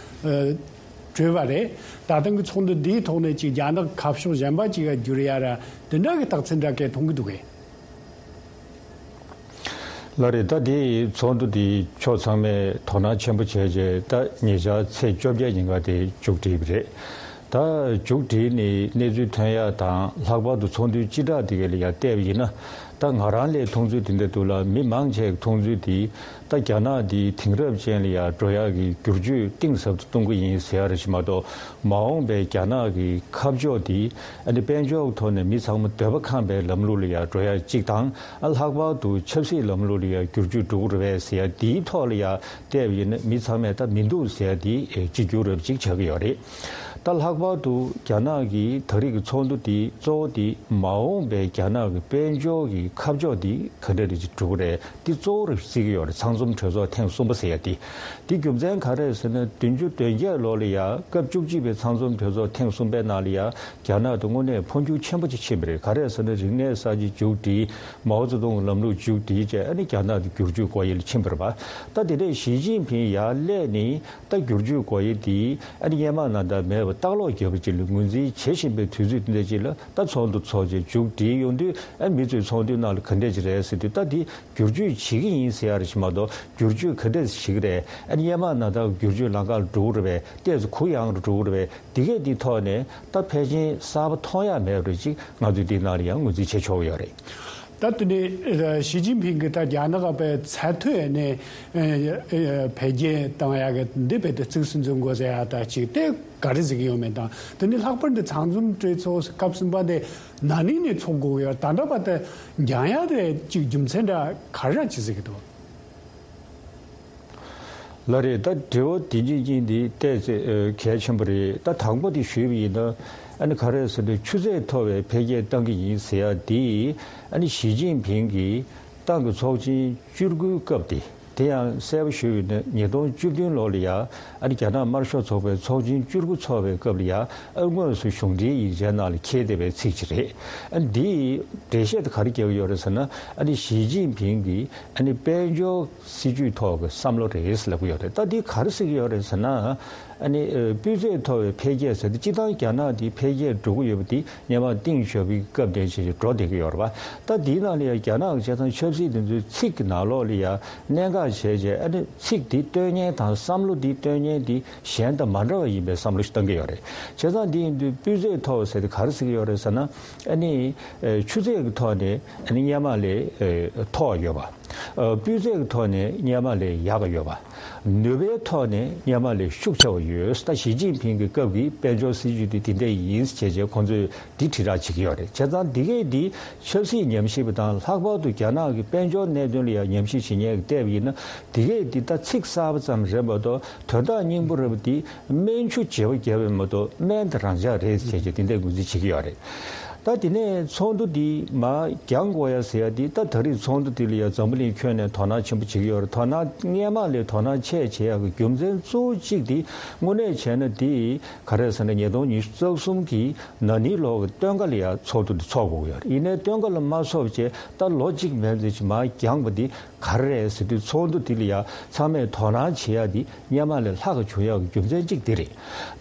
ཨ་གྲོལ་བ་རེད། ད་ཐེངས་ཀྱི་ཚོགས་འདུ་འདིའི་ཐོག་ནས་ཅིག་རྒྱ་ནག་ཁ་ཕྱོགས་གཞན་པ་ཅིག་ག་བསྒྱུར་ཡ་ར་དེ་འདྲ་གི་རྟགས་མཚན་འདྲ་གས་མཐོང་གི་འདུག་གས། ལགས་རེད། ད་དེ་ཚོགས་འདུ་དེ་ཕྱོགས་ཚང་མས་དོ་སྣང་ཆེན་པོ་བྱས་རྗེས་ད་ཉེ་ཆར་ཚེས་བཅོ་བརྒྱད་ཉིན་ཀ་དེ་མཇུག་བསྒྲིལ་བ་རེད། ད་མཇུག་བསྒྲིལ་ནས་གནས་ཚུལ་ཐོན་ཡ་དང་། ལྷག་པར་དུ་ཚོགས་འདུའི་སྤྱི་བསྒྲགས་དེ་ག་ལ་ཡ་བལྟས་པ་ཡིན་ན། ད་ང་རང་ལས་མཐོང་ཚུལ་དེ་འདྲ་འདུག་ལ། མི་མང་ཆེ་གི་མཐོང་ཚུལ་དེ་ད་རྒྱ་ནག་དེ་དེང་རབས་ཅན་ལ་ཡ་འགྲོ་ཡ་གི་བསྒྱུར་བཅོས་གཏིང་ཟབ་ཏུ་གཏོང་གི་ཡིན་ཟེར་ཡ་རེད་ཞིག་མ་གཏོགས། མ་འོངས་པའི་རྒྱ་ནག་གི་ཁ་ཕྱོགས་དེ་ཨ་ནི་དཔལ་འབྱོར་གྱི་ཐོག་ནས་མི་ཚང་མ་འདོད་པ་ཁེངས་པའི་ལམ་ལུགས་ལ་ཡ་འགྲོ་ཡ་གཅིག་དང་། ཨ་ལྷག་པར་དུ་ཆབ་སྲིད་ལམ་ལུགས་ལ་ཡ་བསྒྱུར་བཅོས་འགྲོ་གི་རེད་པས་ཟེར་ཡ་དེའི་ཐོག་ལ་ཡ་བལྟས་པ་ཡིན་ན། མི་ཚང་མས་ད་མི་འདུག་ཟེར་ཡ་དེ་གཅིག་གྱུར་རབ་ཅིག་ཆགས་ཀྱི་ཡོད་རེད། ད་ལྷག་པར་དུ་རྒྱ་ནག་གི་ད་རེས་ཀྱི་ཚོགས་འདུ་དེ་གཙོ་བོ་དེ་མ་འོངས་པའི་རྒྱ་ནག་གི་དཔལ་འབྱོར་གྱི་ཁ་ཕྱོགས་དེ་ག་འདྲ་རེད་ཅིག་འགྲོ་གི་རེད། འདི་གཙོ་བོར་བརྩི་གི་ཡོད་རེད། ཚང་འཛོམས་གྲོས་ཚོགས་ཐེངས་གསུམ་པ་ཟེར་ཡ་དེ། དེ་རྒྱུ་མཚན་ག་རེ་རེད་ཟེར་ན། བདུན་ཅུ་དོན་བརྒྱད་ལོ་ལ་ཡ་སྐབས་བཅུ་གཅིག་པའི་ཚང་འཛོམས་གྲོས་ཚོགས་ཐེངས་གསུམ་པའི་ནང་ལ་ཡ་རྒྱ་ནག་དེ་དངོས་གནས་འཕོ་འགྱུར་ཆེན་པོ་ཅིག་ཕྱིན་པ་རེད། ག་རེ་རེད་ཟེར་ན། རིག་གནས་གསར་བརྗེ་མཇུག་སྒྲིལ། མའོ་ཙེ་ཏུང་གི་ལམ་ལུགས་མཇུག་སྒྲིལ་བྱས། ཨ་ནི་རྒྱ་ནག་དེ་བསྒྱུར་བཅོས་སྒོ་དབྱེ་ལ་ཕྱིན་པ་རེད་པ། ད་དེ་འདྲས་ཞི་ཅིན་ཕིང་ཡར་སླེབས་ནས་ད་བསྒྱུར་བཅོས་སྒོ་དབྱེ་དེ་ཨ་ནི་སྔོན་མ་ནང་ལྟར་མེད་པར་ལྟག་ལོག་རྒྱབ་པ་ཅིག་ལ་ངོས་འཛིན་བྱེད་བཞིན་པའི་དུས་ཚོད་འདི་འདྲ་ཅིག་ལ། ད་ཚོགས་འདུ་ཚོགས་བྱས་མཇུག་སྒྲིལ་ཡོང་དུས། ཨ་མི་ཚོས་ཚོགས་འདུའི་ནང་ལ་ག་འདྲས་ཅིག་རེད་ཟེར་དུས། ད་འདི་བསྒྱུར་བཅོས་བྱེད་ཀྱི་ཡིན་ཟེར་ཡ་རེད་ཞིག་མ་གཏོགས། བསྒྱུར་བཅོས་ག་འདྲས་བྱེད་ཀྱི་རེད། ཨ་ནི་སྔོན་མ་ནང་ལྟར་བསྒྱུར་བཅོས་ལམ་ཁ་ལ་འགྲོ་གི་རེད་པས། ཏོག་ཙམ་གུ་ཡངས་རུ་འགྲོ་གི་རེད་པས། འདི་གས་འདི་ཐོག་ནས་ད་ཕལ་ཆེར་གསར་པ་མཐོང་ཡ་མེད་པ་རེད་ཅིག་ང་ཚོས་འདི་ནང་ལ་ཡང་ངོས་འཛིན་བྱེད་ཆོག་གི་ཡོད་རེད། ད་དེ་ནས་ཞི་ཅིན་ཕིང་གིས་ད་རྒྱ་ནག་པའི་ཚད་མཐོའི་ནས་འཕེལ་རྒྱས་བཏང་ཡ་གི་འདི་རྦད་དེ་གཙིགས་སུ་འཛིན་དགོས་ཟེར་ཡ་ད་ཅིག་དེ་ག་རེ་ཟེར་གི་ཡོད་མེད་དང་། དེ་ནས་ལྷག་པར་འདི་ཚང་འཛོམས་གྲོས་ཚོགས་སྐབས་གསུམ་པ་དེ་ན་ནིང་ནས་ཚོགས་དགོས་ཀྱི་ཡོད། ད་ལྟ་བར་དུ་འགྱངས་ཡ་དེ་ཅིག་རྒྱུ་མཚན་འདྲ་ག་རེ་ཅིག་ཟེར་གི་འདུག་ལགས་རེད། ད་དྲི་བ་དེ་གཉིས་གཉིས་འདི་ཏོག་ཙམ་ཨ་གལ་ཆེན་པོ་རེད། ད་དང་པོ་དེ་ཞུས་པ་ཡིན་ན། ཨ་ནི་ག་རེ་ཟེར་ན་ཆུ་ཚད་མཐོ་བའི་འཕེལ་རྒྱས་གཏང་གི་ཡིན་ཟེར་ཡ་དེ། ཨ་ནི་ཞི་ཅིན་ཕིང་གིས་ཏང་གི་ཚོགས་ཆེན་བཅུ་དགུའི་སྐབས་དེ། དེ་ཡང་གསལ་པོ་ཞུས་པ་ཡིན་ན་ཉིས་སྟོང་བཅུ་བདུན་ལོ་ལ་ཡ། ཨ་ནི་རྒྱ་ནག་དམར་ཤོག་ཚོགས་པའི་ཚོགས་ཆེན་བཅུ་དགུ་ཚོགས་པའི་སྐབས་ལ་ཡ། ཨ་དངོས་སུ་གཞུང་འབྲེལ་ཡིག་ཆའི་ནང་ལ་འཁྱེར་བསྡད་པའི་ཚིག་ཅིག་རེད། ཨ་ནི་འདིའི་འགྲེལ་བཤད་དེ་ག་རེ་རྒྱག་གི་ཡོད་རེད་ཟེར་ན། ཨ་ནི་ཞི་ཅིན་ཕིང་གིས་ཨ་ནི་དཔལ་འབྱོར་སྲིད་ཇུས་ཐོག་གི་བསམ་བློ་རེད་ཟེར་ལབ་ཀྱི་ཡོད་རེད། ད་འདི་ག་རེ་ཟེར་གྱི་ཡོད་རེད་ཟེར་ན། ཨ་ནི་ཨ་སྤུས་ཚད་མཐོ་བའི་འཕེལ་རྒྱས་ཟེར་ཏེ་སྤྱིར་བཏང་རྒྱ་ནག་འདི་འཕེལ་རྒྱས་འགྲོ་གི་ཡོད་པ་འདི་སྔོན་མ་ཏིང་ཞའོ་ཕིང་གི་སྐབས་ནས་བྱས་བྱས་འགྲོ་བསྡད་ཀྱི་ཡོད་རེད་པ། ད་འདིའི་ནང་ལ་ཡང་རྒྱ་ནག་གི་བྱས་ཙང་ཆབ་སྲིད་འདི་ཚོའི་ཚིག་གི་ནང་ལོགས་ལ་ཡང་གནད་འགག་བྱས་བྱས། ཨ་ནི་ཚིག་འདི་སྟོན་མཁན་དང་བསམ་བློ་འདི་སྟོན་མཁན་འདི་གཞན་དང་མ་འདྲ་བ་ཡིན་པའི་བསམ་བློ་ཞིག་བཏང་གི་ཡོད་རེད། བྱས་ཙང་འདི་ཡིན་དུས་སྤུས་ཚད་མཐོ་བ་ཟེར་དེ་ག་རེ་ཟེར་གྱི་ཡོད་རེད་ཟེར་ན། ཨ་ནི་ཨ་ཆུ་ཚད་ཀྱི་ཐོག་ནས་ཨ་ནི་སྔོན་མ་ལས་ཨ་མཐོ་བ་ཡོད་པ། ཨ་སྤུས་ཚད་ཀྱི་ཐོག་ནས་སྔོན་མ་ལས་ཡག་ག་ཡོད་པ། ནུས་པའི་ཐོག་ནས་སྔོན་མ་ལས་ཤུགས་ཆེ་བ་ཡོད། ད་ཞི་ཅིན་ཕིང་གི་སྐབས་ཀྱི་དཔལ་འབྱོར་སྲིད་ཇུས་དེ་དེ་འདྲ་ཡིན་བྱས་བྱས་ཁོང་ཚོས་འདི་དྲིལ་བསྒྲགས་བྱེད་ཀྱི་ཡོད་རེད། བྱས་ཙང་འདི་གས་འདི་ཆབ་སྲིད་ཉམས་ཞིབ་པ་དང་། ལྷག་པར་དུ་རྒྱ་ནག་གི་དཔལ་འབྱོར་གནད་དོན་ལ་ཡང་ཉམས་ཞིབ་བྱེད་མཁན་གྱིས་བལྟས་པ་ཡིན་ན། འདི་གས་འདི་ད་ཚིག་གསར་པ་ཙམ་རེད་མ་གཏོགས། དོན་དག་སྙིང་པོ་རེད་པ་འདི་སྨན་ཆུ་བརྗེ་པོ་བརྒྱབ་པ་མ་གཏོགས་སྨན་དེ་རང་འཇགས་རེད་ཟེར་བྱས་དེ་འདྲའི་ངོས་འཛིན་བྱེད་ཀྱི་ཡོད་རེད། ད་དེ་ནས་ཚོགས་འདུ་འདི་མར་འགྱངས་དགོས་ཡ་ཟེར་ཡ་འདི། ད་ད་རེས་ཚོགས་འདུ་འདི་ལ་ཡ་འཛམ་བུ་གླིང་ཁྱོན་ནས་དོ་སྣང་ཆེན་པོ་བྱེད་ཀྱི་ཡོད་རེད། དོ་སྣང་སྔོན་མ་ལས་དོ་སྣང་ཆེ་བྱེད་ཡ་གི་རྒྱུ་མཚན་གཙོ་བོ་གཅིག་འདི་དངོས་གནས་བྱས་ན་འདི་ག་རེ་ཟེར་ན། ཉིས་སྟོང་ཉི་ཤུ་རྩ་གསུམ་གྱི་ན་ནིང་ལོ་གི་སྟོན་ཁ་ལ་ཡ་ཚོགས་འདུ་འདི་ཚོགས་དགོས་ཀྱི་ཡོད་རེད། ཡིན་ནའི་སྟོན་ཁ་ལ་མ་ཚོགས་བྱས། ད་ལོ་གཅིག་མན་ཙམ་ཅིག་མར་འགྱངས་པ་འདི་ག་རེ་རེད་ཟེར་དུས། ཚོགས་འདུ་འདི་ལ་ཡ་ཚང་མས་དོ་སྣང་བྱེད་ཡ་འདི་སྔོན་མ་ལས་ལྷག་ག་བྱུང་ཡ་གི་རྒྱུ་མཚན་གཅིག་འདི་རེད།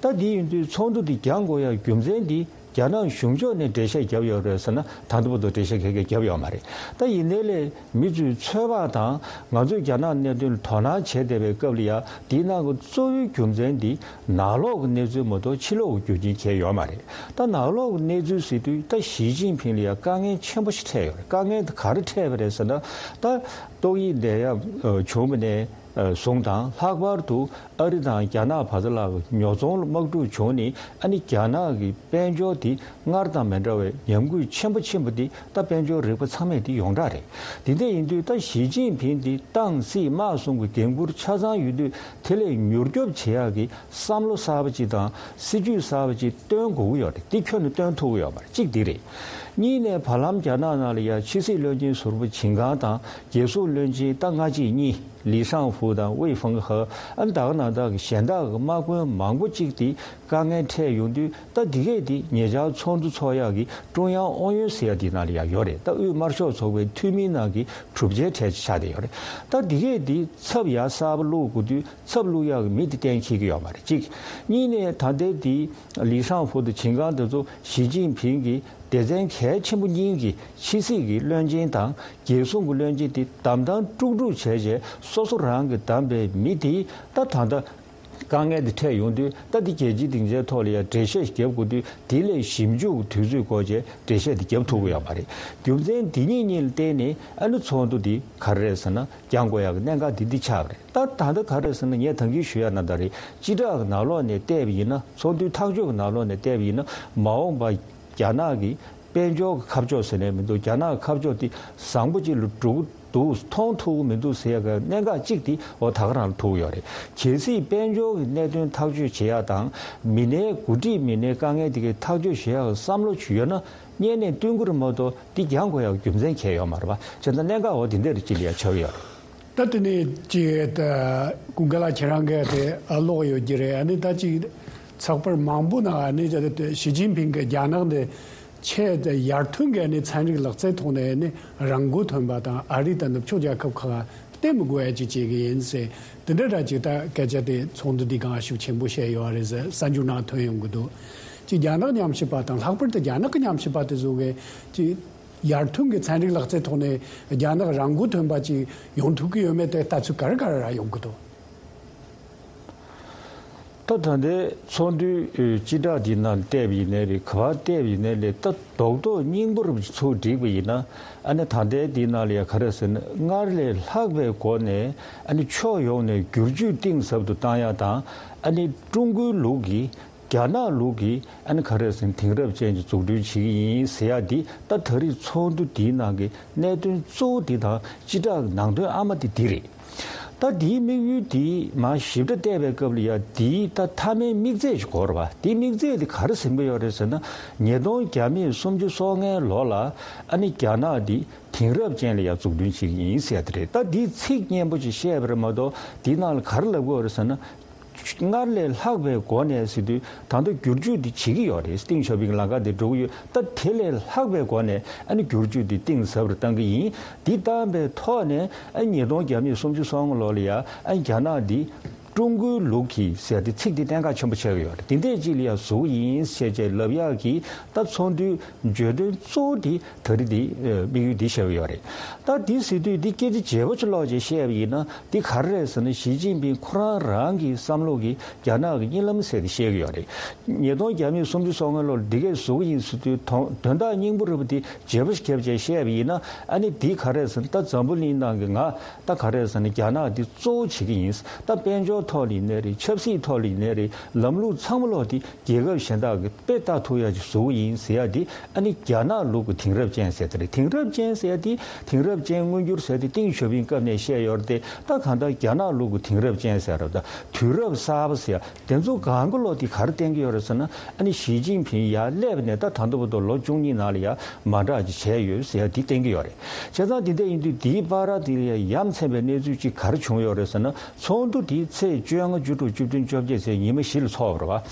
ད་འདི་ཡིན་དུས་ཚོགས་འདུ་འདི་འགྱངས་དགོས་ཡ་རྒྱུ་མཚན་འདི་རྒྱ་ནག་གཞུང་ཕྱོགས་ནས་འགྲེལ་བཤད་བརྒྱབ་ཡོད་རེད་ཟེར་ན། ད་ལྟ་བར་དུ་འགྲེལ་བཤད་ག་གེ་བརྒྱབ་ཡོད་མ་རེད། ད་ཡིན་ནའི་ལས་མི་ཚོའི་ཚོད་དཔག་དང་། ང་ཚོས་རྒྱ་ནག་གནད་དོན་ལ་དོ་སྣང་བྱེད་བསྡད་པའི་སྐབས་ལ་ཡ། འདིའི་ནང་གི་གཙོ་བོའི་རྒྱུ་མཚན་འདི་ནང་ལོགས་ཀྱི་གནས་ཚུལ་མ་གཏོགས་ཕྱི་ལོགས་ཀྱི་རྒྱུ་རྐྱེན་གང་ཡང་ཡོད་མ་རེད། ད་ནང་ལོགས་ཀྱི་གནས་ཚུལ་ཟེར་དུས། ད་ཞི་ཅིན་ཕིང་ལ་ཡ་དཀའ་ངལ་ཆེན་པོ་ཞིག་འཕྲད་ཡོད་རེད། དཀའ་ངལ་དེ་ག་རེ་འཕྲད་པ་རེད་ཟེར་ན། ད་ཏོག་དབྱིབས་ནད་ཡམས་བྱུང་བ་ནས་བཟུང་དང་། ལྷག་པར་དུ་ཨ་རི་དང་རྒྱ་ནག་བར་དུ་ལ་ཉོ་ཚོང་ལ་དམག་འཁྲུག་བྱུང་ནས། ཨ་ནི་རྒྱ་ནག་གི་དཔལ་འབྱོར་དེ་སྔར་དང་མི་འདྲ་བའི་ཉམས་རྒུད་ཆེན་པོ་ཕྱིན་པ་དེ། ད་དཔལ་འབྱོར་རིག་པ་ཚང་མས་དེ་ཡོངས་གྲགས་རེད། དེ་འདྲ་ཡིན་དུས་ད་ཞི་ཅིན་ཕིང་དེ་ཏང་སྲིད་དམག་གསུམ་གྱི་འགན་འཁུར་ཆ་ཚང་ཡོད་དུས། དེ་ལས་མྱུར་སྐྱོབ་བྱེད་ཡག་གི་བསམ་བློ་གསར་པ་ཅིག་དང་སྲིད་ཇུས་གསར་པ་ཅིག་སྟོན་དགོས་ཀྱི་ཡོད་རེད། དེ་ཁྱོན་ནས་སྟོན་ཐུབ་ཀྱི་ཡོད་མ་རེད། གཅིག་དེ་རེད། གཉིས་ནས་བར་ལམ་རྒྱ་ནག་ནང་ལ་ཡ་ཕྱི་སྲིད་བློན་ཆེན་ཟུར་པ་ཆིན་ཀང་དང་། རྒྱལ་སྲུང་བློན་ཆེན་ད་སྔ་རྗེས་གཉིས། ལི་ཤང་ཧྥུ་དང་ཝེ་ཧྥང་ཧེ། ཨ་ནི་ད་ག་ནང་བཞིན་གྱི་གཞན་དག་གི་དམག་དཔོན་མང་པོ་གཅིག་དེ་དཀའ་ངལ་འཕྲད་ཡོང་དུས། ད་འདི་གས་དེ་ཉེ་ཆར་ཚོགས་འདུ་ཚོགས་ཡག་གི་ཀྲུང་དབྱང་ཨུ་ཡོན་ཟེར་ཡག་དེ་ནང་ལ་ཡ་ཡོད་རེད། ད་དབུས་དམར་ཤོག་ཚོགས་པའི་འཐུས་མིའི་ནང་གི་གྲུབ་ཆའི་གྲས་ཆགས་བསྡད་ཡོད་རེད། ད་འདི་གས་དེ་ཚབ་ཡ་གསར་པ་བླུག་དགོས་དུས། ཚབ་བླུག་ཡག་གི་མི་དེ་གཏན་འཁེལ་གྱི་ཡོད་མ་རེད། གཅིག་གཉིས་ནས་ད་ལྟའི་དེ་ལི་ཤང་ཧྥུ་དང་ཆིན་ཀང་དེ་ཚོ་ཞི་ཅིན་ཕིང་གི་སྡེ་ཚན་གལ་ཆེན་པོ་གཉིས་ཀྱི་ཕྱི་སྲིད་ཀྱི་བློན་ཆེན་དང་རྒྱལ་སྲུང་གི་བློན་ཆེན་དེ་བདམས་ཐོན་དཀྲུག་དཀྲུག་བྱས་བྱས། སོ་སོ་རང་གིས་བདམས་པའི་མི་དེ་ད་ད་ལྟ་དཀའ་ངལ་དེ་འཕྲད་ཡོང་དུས། ད་དེ་རྒྱལ་སྤྱིའི་སྡིངས་ཆའི་ཐོག་ལ་ཡ་འགྲེལ་བཤད་ཞིག་རྒྱབ་དགོས་དུས། དེ་ལས་ཞིབ་འཇུག་གི་དུས་ཚོད་འགོར་བྱས་འགྲེལ་བཤད་དེ་རྒྱབ་ཐུབ་ཀྱི་ཡོད་མ་རེད། རྒྱུ་མཚན་དེ་གཉིས་གཉིས་ལ་བརྟེན་ནས། ཨ་ནི་ཚོགས་འདུ་དེ་ག་རེ་རེད་ཟེར་ན། འགྱངས་དགོས་ཡག་གི་གནད་འགག་འདི་འདི་ཆགས་པ་རེད། ད་ད་ལྟ་ག་རེ་ཟེར་ན། ངས་ད་གིན་ཞུ་ཡ་ནང་ལྟར་རེད། སྤྱི་བསྒྲགས་ཀྱི་ནང་ལོགས་ནས་བལྟས་པ་ཡིན་ན། ཚོགས་འདུའི་ཐག་གཅོད་ཀྱི་ནང་ལོགས་ནས་བལྟས་པ་ཡིན་ན། མ་འོངས་པ་རྒྱ་ནག་གི་དཔལ་འབྱོར་གྱི་ཁ་ཕྱོགས་ཟེར་ནས་མི་འདུག་རྒྱ་ནག་གི་ཁ་ཕྱོགས་དེ་བཟང་པོ་ཅིག་ལ་འགྲོ་གི་འདུག་མཐོང་ཐུབ་ཀྱི་མི་འདུག་ཟེར་ཡ་གི་གནད་འགག་གཅིག་དེ་འོ་ད་ག་རང་ལ་ཐུག་ཡོད་རེད། གལ་སྲིད་དཔལ་འབྱོར་གྱི་གནད་དོན་ཐག་གཅོད་བྱེད་ཡ་དང་། མི་སྣའི་འགོ་ཁྲིད་མི་སྣའི་དཀའ་ངལ་དེ་གའི་ཐག་གཅོད་བྱེད་ཡ་གི་བསམ་བློ་ཅིག་ཡོད་ན། སྔོན་ནས་བསྟུན་དགོས་རེད་མ་གཏོགས། འདི་འགྱངས་དགོས་ཡག་རྒྱུ་མཚན་གང་ཡང་ཡོད་མ་རེད་པ། བྱས་ཙང་གནད་འགག་འོ་དེ་འདྲ་རེ་ཅིག་ལ་ཡ་ཆགས་ཀྱི་ཡོད་རེད། ད་དེ་ནས་ཅིག་ད་ཀུན་དགའ་ལགས་ཁྱེད་རང་གིས་དེ་ཀློག་ཡོད་ཀྱི་རེད། ཨ་ནི་ད་ཅིག་ཚགས་པར་མང་པོ་ནང་ཨ་ནི་ཞི་ཅིན་ཕིང་གིས་རྒྱ་ནག་འདི་ཆེས་དེ་ཡར་ཐོན་གྱི་ཨ་ནི་ཚན་རིག་ལག་རྩལ་ཐོག་ནས་ཨ་ནི་རང་མགོ་ཐོན་པ་དང་། ཨ་རི་དང་ནུབ་ཕྱོགས་རྒྱལ་ཁབ་ཁག་བསྟེན་མི་དགོས་ཡ་ཅིག་བྱེད་ཀྱི་ཡིན་ཟེར། དེ་འདྲ་འདྲ་ཅིག་ད་སྐད་ཆ་དེ་ཚོགས་འདུ་འདི་སྒང་ཤུགས་ཆེན་པོ་བཤད་ཡོད་རེད་ཟེར་གསར་འགྱུར་ནང་ཐོན་ཡོང་གི་འདུག་ཅིག་རྒྱ་ནག་ཉམས་ཞིབ་པ་དང་། ལྷག་པར་དུ་རྒྱ་ནག་གི་ཉམས་ཞིབ་པ་དེ་ཚོ་གིས་ཅིག་ཡར་ཐོན་གྱི་ཚན་རིག་ལག་རྩལ་ཐོག་ནས་རྒྱ་ནག་རང་མགོ་ཐོན་པ་ཅིག་ཡོང་ཐུབ་ཀྱི་ཡོད་མེད་དེ་ལྟ་ཚུལ་ག་རེ་ག་རེ་ར་ཡོང་གི་འདུག་ད་ད་ལྟའི་ཚོགས་འདུའི་སྤྱི་བསྒྲགས་འདི་ནང་བལྟས་པ་ཡིན་ནའི་རེད། ག་པར་བལྟས་པ་ཡིན་ནའི་རེད། ད་རྡོག་རྡོག་སྙིང་པོ་རུ་ཚུར་བསྒྲིགས་པ་ཡིན་ན། ཨ་ནི་ད་ལྟའི་འདི་ནང་ལ་ཡ་ག་རེ་ཟེར་ན། སྔར་ལས་ལྷག་པའི་སྒོ་ནས་ཨ་ནི་ཕྱོགས་ཡོངས་ནས་བསྒྱུར་བཅོས་གཏིང་ཟབ་ཏུ་བཏང་ཡ་དང་། ཨ་ནི་ཀྲུང་གོའི་ལུགས་ཀྱི་རྒྱ་ནག་ལུགས་ཀྱི་ཨ་ནི་ག་རེ་ཟེར་ན། དེང་རབས་ཅན་གྱི་འཛུགས་སྐྲུན་བྱེད་ཀྱི་ཡིན་ཟེར་ཡ་འདི། ད་ད་རེས་ཚོགས་འདུ་འདིའི་ནང་གི་གནད་དོན་གཙོ་བོ་འདི་དང་། སྤྱི་བསྒྲགས་ནང་དོན་ཨ་མ་འདི་འདི་རེད། ད་དེའི་དམིགས་ཡུལ་དེ་མར་ཞིབ་ཕྲ་བལྟས་པའི་སྐབས་ལ་ཡ་དེའི་ད་མཐའ་མའི་དམིགས་ཚད་ཅིག་གོ་རེད་བ། དེའི་དམིགས་ཚད་དེ་ག་རེ་ཟིན་པ་ཡོད་རེད་ཟེར་ན། ཉིས་སྟོང་བརྒྱ་མེད་སུམ་ཅུ་སོ་ལྔའི་ལོ་ལ་ཨ་ནི་རྒྱ་ནག་དེ་དེང་རབས་ཅན་ལ་ཡ་འཛུགས་སྐྲུན་བྱེད་ཀྱི་ཡིན་ཟེར་ཡ་དེ་རེད། ད་དེའི་ཚིག་སྙན་པོ་ཅིག་བཤད་པ་རེད་མ་གཏོགས་དེའི་ནང་ལ་ག་རེ་ལབ་དགོས་རེད་ཟེར་ན། སྔར་ལས་ལྷག་པའི་སྒོ་ནས་ཟེར་དུས་ད་ལྟ་བསྒྱུར་བཅོས་འདི་བྱེད་ཀྱི་ཡོད་རེད། ཏིང་ཞའོ་ཕིང་ལམ་ཁ་དེ་འགྲོ་གི་ཡོད། ད་དེ་ལས་ལྷག་པའི་སྒོ་ནས་ཨ་ནི་བསྒྱུར་བཅོས་འདི་གཏིང་ཟབ་རུ་བཏང་གི་ཡིན། འདི་བཏང་པའི་ཐོག་ནས་ཨ་ཉིས་སྟོང་བརྒྱ་མེད་སུམ་ཅུ་སོ་ལྔ་ལོ་ལ་ཡ་ཨ་རྒྱ་ནག་འདི་ཀྲུང་གོའི་ལུགས་ཀྱི་ཟེར་ཏེ་ཚིག་འདི་གཏན་འཁེལ་ཆེན་པོ་ཆགས་ཀྱི་ཡོད་རེད། འདི་འདྲས་ཅིག་ལ་ཡ་བཟོ་གི་ཡིན་ཞེས་བྱས་ལབ་ཡག་གི་ད་ཚོགས་འདུའི་བརྗོད་དོན་གཙོ་བོ་འདི་ད་རེས་འདི་དམིགས་ཡུལ་འདི་བཤད་ཀྱི་ཡོད་རེད། ད་འདི་ཟེར་དུས་འདི་སྐད་ཆ་བརྗེ་པོ་ཅིག་ཀློག་བྱས་བཤད་པ་ཡིན་ན། འདི་ག་རེ་རེད་ཟེར་ན། ཞི་ཅིན་ཕིང་ཁོ་རང་རང་གི་བསམ་བློ་གི་རྒྱ་ནག་གི་གཉིད་ལམ་ཟེར་ཏེ་བཤད་ཀྱི་ཡོད་རེད། ཉིས་སྟོང་བརྒྱ་མེད་སུམ་ཅུ་སོ་ལྔ་ལོར་འདི་གས་བཟོ་གི་ཡིན་ཟེར་དུས་དོན་དོན་དག་སྙིང་པོ་རེད་པ། འདི་བརྗེ་པོ་ཞིག་བརྒྱབ་བྱས་བཤད་པ་ཡིན་ན། ཨ་ནི་འདི་ག་རེ་རེད་ཟེར་ན། ད་འཛམ་བུ་གླིང་ནང་གི་ང་ད་ག་རེ་རེད་ཟེར་ན། རྒྱ་ནག་འདི་གཙོ་བོ་བྱེད་ཀྱི་ཡིན། ད་དཔལ་འབྱོར་ཐོག་ལ་ཡིན་ནའི་རེད། ཆབ་སྲིད་ཐོག་ལ་ཡིན་ནའི་རེད། ལམ་ལུགས་ཚང་མ་ལོག་འདི་རྒྱལ་ཁབ་གཞན་དག་གི་དཔེ་ལྟ་ཐུབ་ཡ་ཅིག་བཟོ་གི་ཡིན་ཟེར་ཡ་འདི་ཨ་ནི་རྒྱ་ནག་ལུགས་ཀྱི་དེང་རབས་ཅན་ཟེར་དེ་རེད། དེང་རབས་ཅན་ཟེར་ཡ་འདི་དེང་རབས་ཅན་མངོན་འགྱུར་ཟེར་དེ་ཏིང་ཞའོ་ཕིང་སྐབས་ནས་བཤད་ཡོད་རེད་དེ། ད་གང་ལྟར་རྒྱ་ནག་ལུགས་ཀྱི་དེང་རབས་ཅན་ཟེར་ར། ད་དུས་རབས་གསར་པ་ཟེར་ཡ་དེ་ཚོ་གང་གི་ལོག་དེ་ག་རེ་བསྟན་གྱི་ཡོད་རེད་ཟེར་ན། ཨ་ནི་ཞི་ཅིན་ཕིང་ཡར་སླེབས་ནས་ད་ད་ལྟ་བར་དུ་ལོ་བཅུ་གཉིས་ནང་ལ་ཡ་མ་འདྲ་ཅིག་བྱས་ཡོད་ཟེར་ཡ་འདི་བསྟན་གྱི་ཡོད་རེད། བྱས་ཙང་དེ་འདྲ་ཡིན་དུས་དེའི་བར་དེ་ལ་ཡ་ཡ་མཚན་པའི་གནས་ཚུལ་ཅིག་ག་རེ་བྱུང་ཡོད་རེད་ཟེར་ན། ཚོགས་འདུ་དེ་ཚེས་བཅོ་ལྔ། བཅུ་དྲུག། བཅུ་བདུན། བཅོ་བརྒྱད་ཟེར་ཉི་མ་བཞི་ལ་ཚོགས་པ་རེད་བ།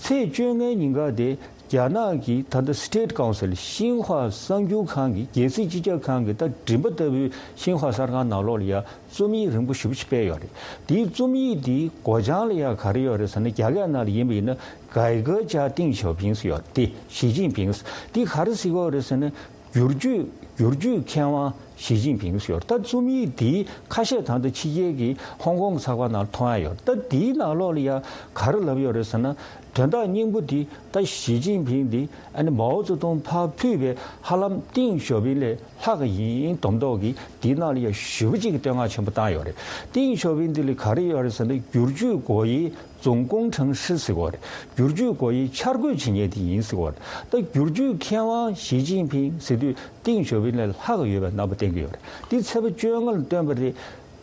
ཚེས་བཅོ་ལྔའི་ཉིན་ཀ་དེ་རྒྱ་ནག་གི་ད་ལྟ་State Council ཤིན་ཧྭ་གསར་འགྱུར་ཁང་གི་རྒྱལ་སྲིད་སྤྱི་ཁྱབ་ཁང་གི་ད་མགྲིན་པ་ལྟ་བུའི་ཤིན་ཧྭ་གསར་ཁང་ནང་ལོགས་ལ་ཡ་རྩོམ་ཡིག་རིང་པོ་ཞེ་པོ་ཅིག་སྤེལ་ཡོད་རེད། དེའི་རྩོམ་ཡིག་དེའི་མགོ་བྱང་ལ་ཡ་ག་རེ་ཡོད་རེད་ཟེར་ན། རྒྱ་སྐད་ནང་ལ་ཡིན་པ་ཡིན་ན།改革家ཏིང་ཞའོ་ཕིང་ཟེར་ཡོད་དེ། ཞི་ཅིན་ཕིང་དེ་ག་རེ་ཟེར་གྱི་ཡོད་རེད་ཟེར་ན། བསྒྱུར་བཅོས་བསྒྱུར་བཅོས་མཁས་དབང་ཞི་ཅིན་ཕིང་ཟེར་ཡོད་རེད། ད་རྩོམ་ཡིག་དེའི་ཁ་ཤས་ད་ལྟ་ཕྱི་རྒྱལ་གྱི་ཧོང་ཀོང་གི་ཚགས་པར་ནང་མཐོང་ཡ་ཡོད་རེད། ད་དེའི་ནང་ལོགས་ལ་ཡ་ག་རེ་ལབ་ཡོད་རེད་ཟེར་ན། དོན་དག་སྙིང་པོ་དེ་ད་ཞི་ཅིན་ཕིང་དེ་ཨ་ནི་མའོ་ཙེ་ཏུང་ཕར་ཕུད་པའི་ཧ་ལམ་ཏིང་ཞའོ་ཕིང་ལས་ལྷག་གི་ཡིན་མདོག་མདོག་གི་དེའི་ནང་ལ་ཡ་ཞེ་པོ་ཅིག་གི་བསྟོད་བསྔགས་ཆེན་པོ་བཏང་ཡོད་རེད། ཏིང་ཞའོ་ཕིང་དེ་ལ་ག་རེ་ཡོད་རེད་ཟེར་ན། སྒྱུར་བཅོས་སྒོ་དབྱེ་འཛུགས་སྐྱོང་གྲངས་བཤེར་ཟེར་གྱི་ཡོད་རེད། བསྒྱུར་བཅོས་སྒོ་དབྱེ་འཆར་འགོད་བྱེད་མཁན་དེ་ཡིན་ཟེར་གྱི་ཡོད་རེད། ད་བསྒྱུར་བཅོས་མཁས་དབང་ཞི་ཅིན་ཕིང་ཟེར་དུས་ཏིང་ཞའོ་ཕིང་ལས་ལྷག་གི་ཡོད་པའི་རྣམ་པ་བསྟན་གྱི་ཡོད་རེད། དེའི་ཚེས་པ་བཅོ་ལྔ་ལ་བཏོན་པ་རེད།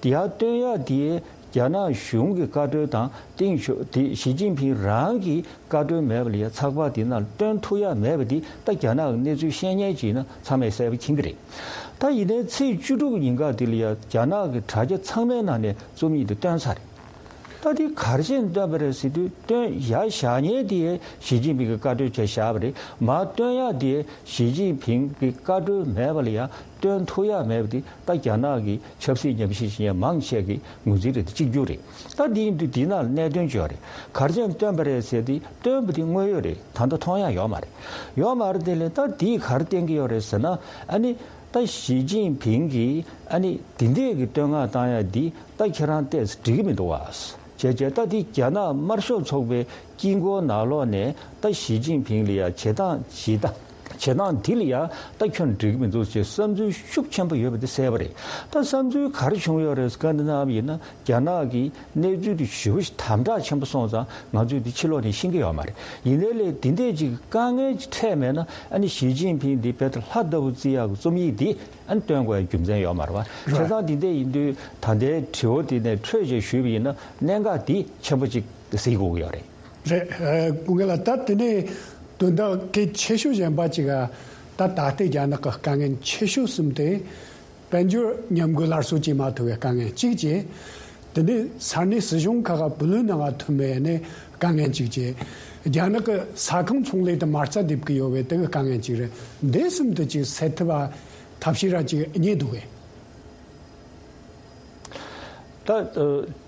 དེ་ཡར་བཏོན་ཡག་དེ་རྒྱ་ནག་གཞུང་གི་བཀའ་འཁྲོལ་དང་ཏིང་ཞའོ་དེ་ཞི་ཅིན་ཕིང་རང་གི་བཀའ་འཁྲོལ་མེད་པ་ལ་ཡ་ཚགས་པར་དེ་ནང་བཏོན་ཐུབ་ཡག་མེད་པ་དེ་ད་རྒྱ་ནག་གི་གནས་ཚུལ་ཤེས་མཁན་ཅིག་ཡིན་ན་ཚང་མས་གསལ་པོ་མཁྱེན་གྱི་རེད། ད་ཡིན་ནའི་ཚེས་བཅུ་དྲུག་ཉིན་ཀ་དེ་ལ་ཡ་རྒྱ་ནག་གི་དྲ་རྒྱ་ཚང་མའི་ནང་ནས་རྩོམ་ཡིག་དེ་བཏོན་ཚར་རེད། ད་དེ་ག་རེ་བྱས་ནས་བཏོན་པ་རེད་ཟེར་དུས། བཏོན་ཡར་བཞག་མཁན་དེ་ཞི་ཅིན་ཕིང་གི་བཀའ་འཁྲོལ་བྱས་བཞག་པ་རེད། མར་བཏོན་ཡག་དེ་ཞི་ཅིན་ཕིང་གི་བཀའ་འཁྲོལ་མེད་པ་ལ་ཡ་བཏོན་ཐུབ་ཡག་མེད་པ་དེ་ད་རྒྱ་ནག་གི་ཆབ་སྲིད་ཉམས་ཞིབ་བྱེད་མཁན་མང་ཆེ་གིས་ངོས་འཛིན་རེད་དེ་གཅིག་གྱུར་རེད། ད་དེ་ཡིན་དུས་དེའི་ནང་ལ་གནད་དོན་ཅིག་ཡོད་རེད། ག་རེ་བྱས་ནས་བཏོན་པ་རེད་ཟེར་དུས། བཏོན་པ་དེ་དངོས་ཡོད་རེད། ད་ལྟ་མཐོང་ཡག་ཡོད་མ་རེད། ཡོད་མ་རེད། དེ་ལས་ད་དེས་ག་རེ་བསྟན་གྱི་ཡོད་རེད་ཟེར་ན། ཨ་ནི་ད་ཞི་ཅིན་ཕིང་གིས་ཨ་ནི་དེ་འདྲས་ཀྱི་བསྟོད་བསྔགས་བཏང་ཡག་འདི་ད་ཁྱེད་རང་ཏོག་ཙམ་འགྲིག་གི་མི་འདུག་བ། བྱས་བྱས་ད་འདི་རྒྱ་ནག་དམར་ཤོག་ཚོགས་པའི་དཀྱིལ་འཁོར་ནང་ལོགས་ནས་ད་ཞི་ཅིན་ཕིང་ལ་ཡ་བྱེད་སྟངས་བྱེད་སྟངས་བྱེད་སྟངས་འདི་ལ་ཡ་ད་ཁྱོད་འགྲིག་གི་མི་འདུག་ཅེས་བསམ་ཚུལ་ཤུགས་ཆེན་པོ་ཡོད་པ་འདི་གསལ་པོ་རེད། ད་བསམ་ཚུལ་ག་རེ་བྱུང་ཡོད་རེད་བཀའ་འདྲི་གནང་བ་ཡིན་ན། རྒྱ་ནག་གི་གནས་ཚུལ་དེ་ཞེ་པོ་ཞིག་དམ་དྲག་ཆེན་པོ་སོང་ཙང་ང་ཚོས་འདི་ཕྱི་ལོགས་ནས་ཤེས་ཀྱི་ཡོད་མ་རེད། ཡིན་ནའི་ལས་འདི་འདྲས་ཅིག་དཀའ་ངལ་ཅིག་འཕྲད་མེད་ན། ཨ་ནི་ཞི་ཅིན་ཕིང་འདི་རྦད་དེ་ལྷ་ལྟ་བུ་བརྩི་ཡག་གི་རྩོམ་ཡིག་འདི་ཨ་ནི་བཏོན་དགོས་ཡ་རྒྱུ་མཚན་ཡོད་མ་རེད་བ། རེད། བྱས་ཙང་འདི་འདྲས་ཡིན་དུས་ད་ལྟའི་དྲི་བ་འདི་ནས་འཕྲོས་བྱས་ཞུས་པ་ཡིན་ན། གནད་འགག་འདི་ཆེན་པོ་ཅིག་གཟིགས་དགོས་ཀྱི་ཡོད་རེད། རེད། ཨ། སྐུ་ངོ་ལགས། ད་དེ་ནས་དོན་དག་གལ་ཆེ་ཤོས་གཞན་པ་ཅིག་ག་ད་ད་ལྟའི་རྒྱ་ནག་གི་དཀའ་ངལ་ཆེ་ཤོས་གསུམ་དེ། དཔལ་འབྱོར་ཉམས་རྒུད་སླར་གསོ་བྱེད་མ་ཐུབ་པའི་དཀའ་ངལ་གཅིག་བྱས། དེ་ནས་ས་གནས་སྲིད་གཞུང་ཁག་ག་བུ་ལོན་གནང་མ་ཐུབ་པའི་ནས་དཀའ་ངལ་གཅིག་བྱས། རྒྱ་ནག་གི་ས་ཁང་ཚོང་ལས་དེ་མ་རྩ་རྡིབ་ཀྱི་ཡོད་པའི་དེ་གི་དཀའ་ངལ་གཅིག་རེད། འདི་གསུམ་དེ་གཅིག་སེལ་ཐུབ་པ་ཐབས་ཤེས་ར་གཅིག་རྙེད་འདུག་གས། ད་ཨ་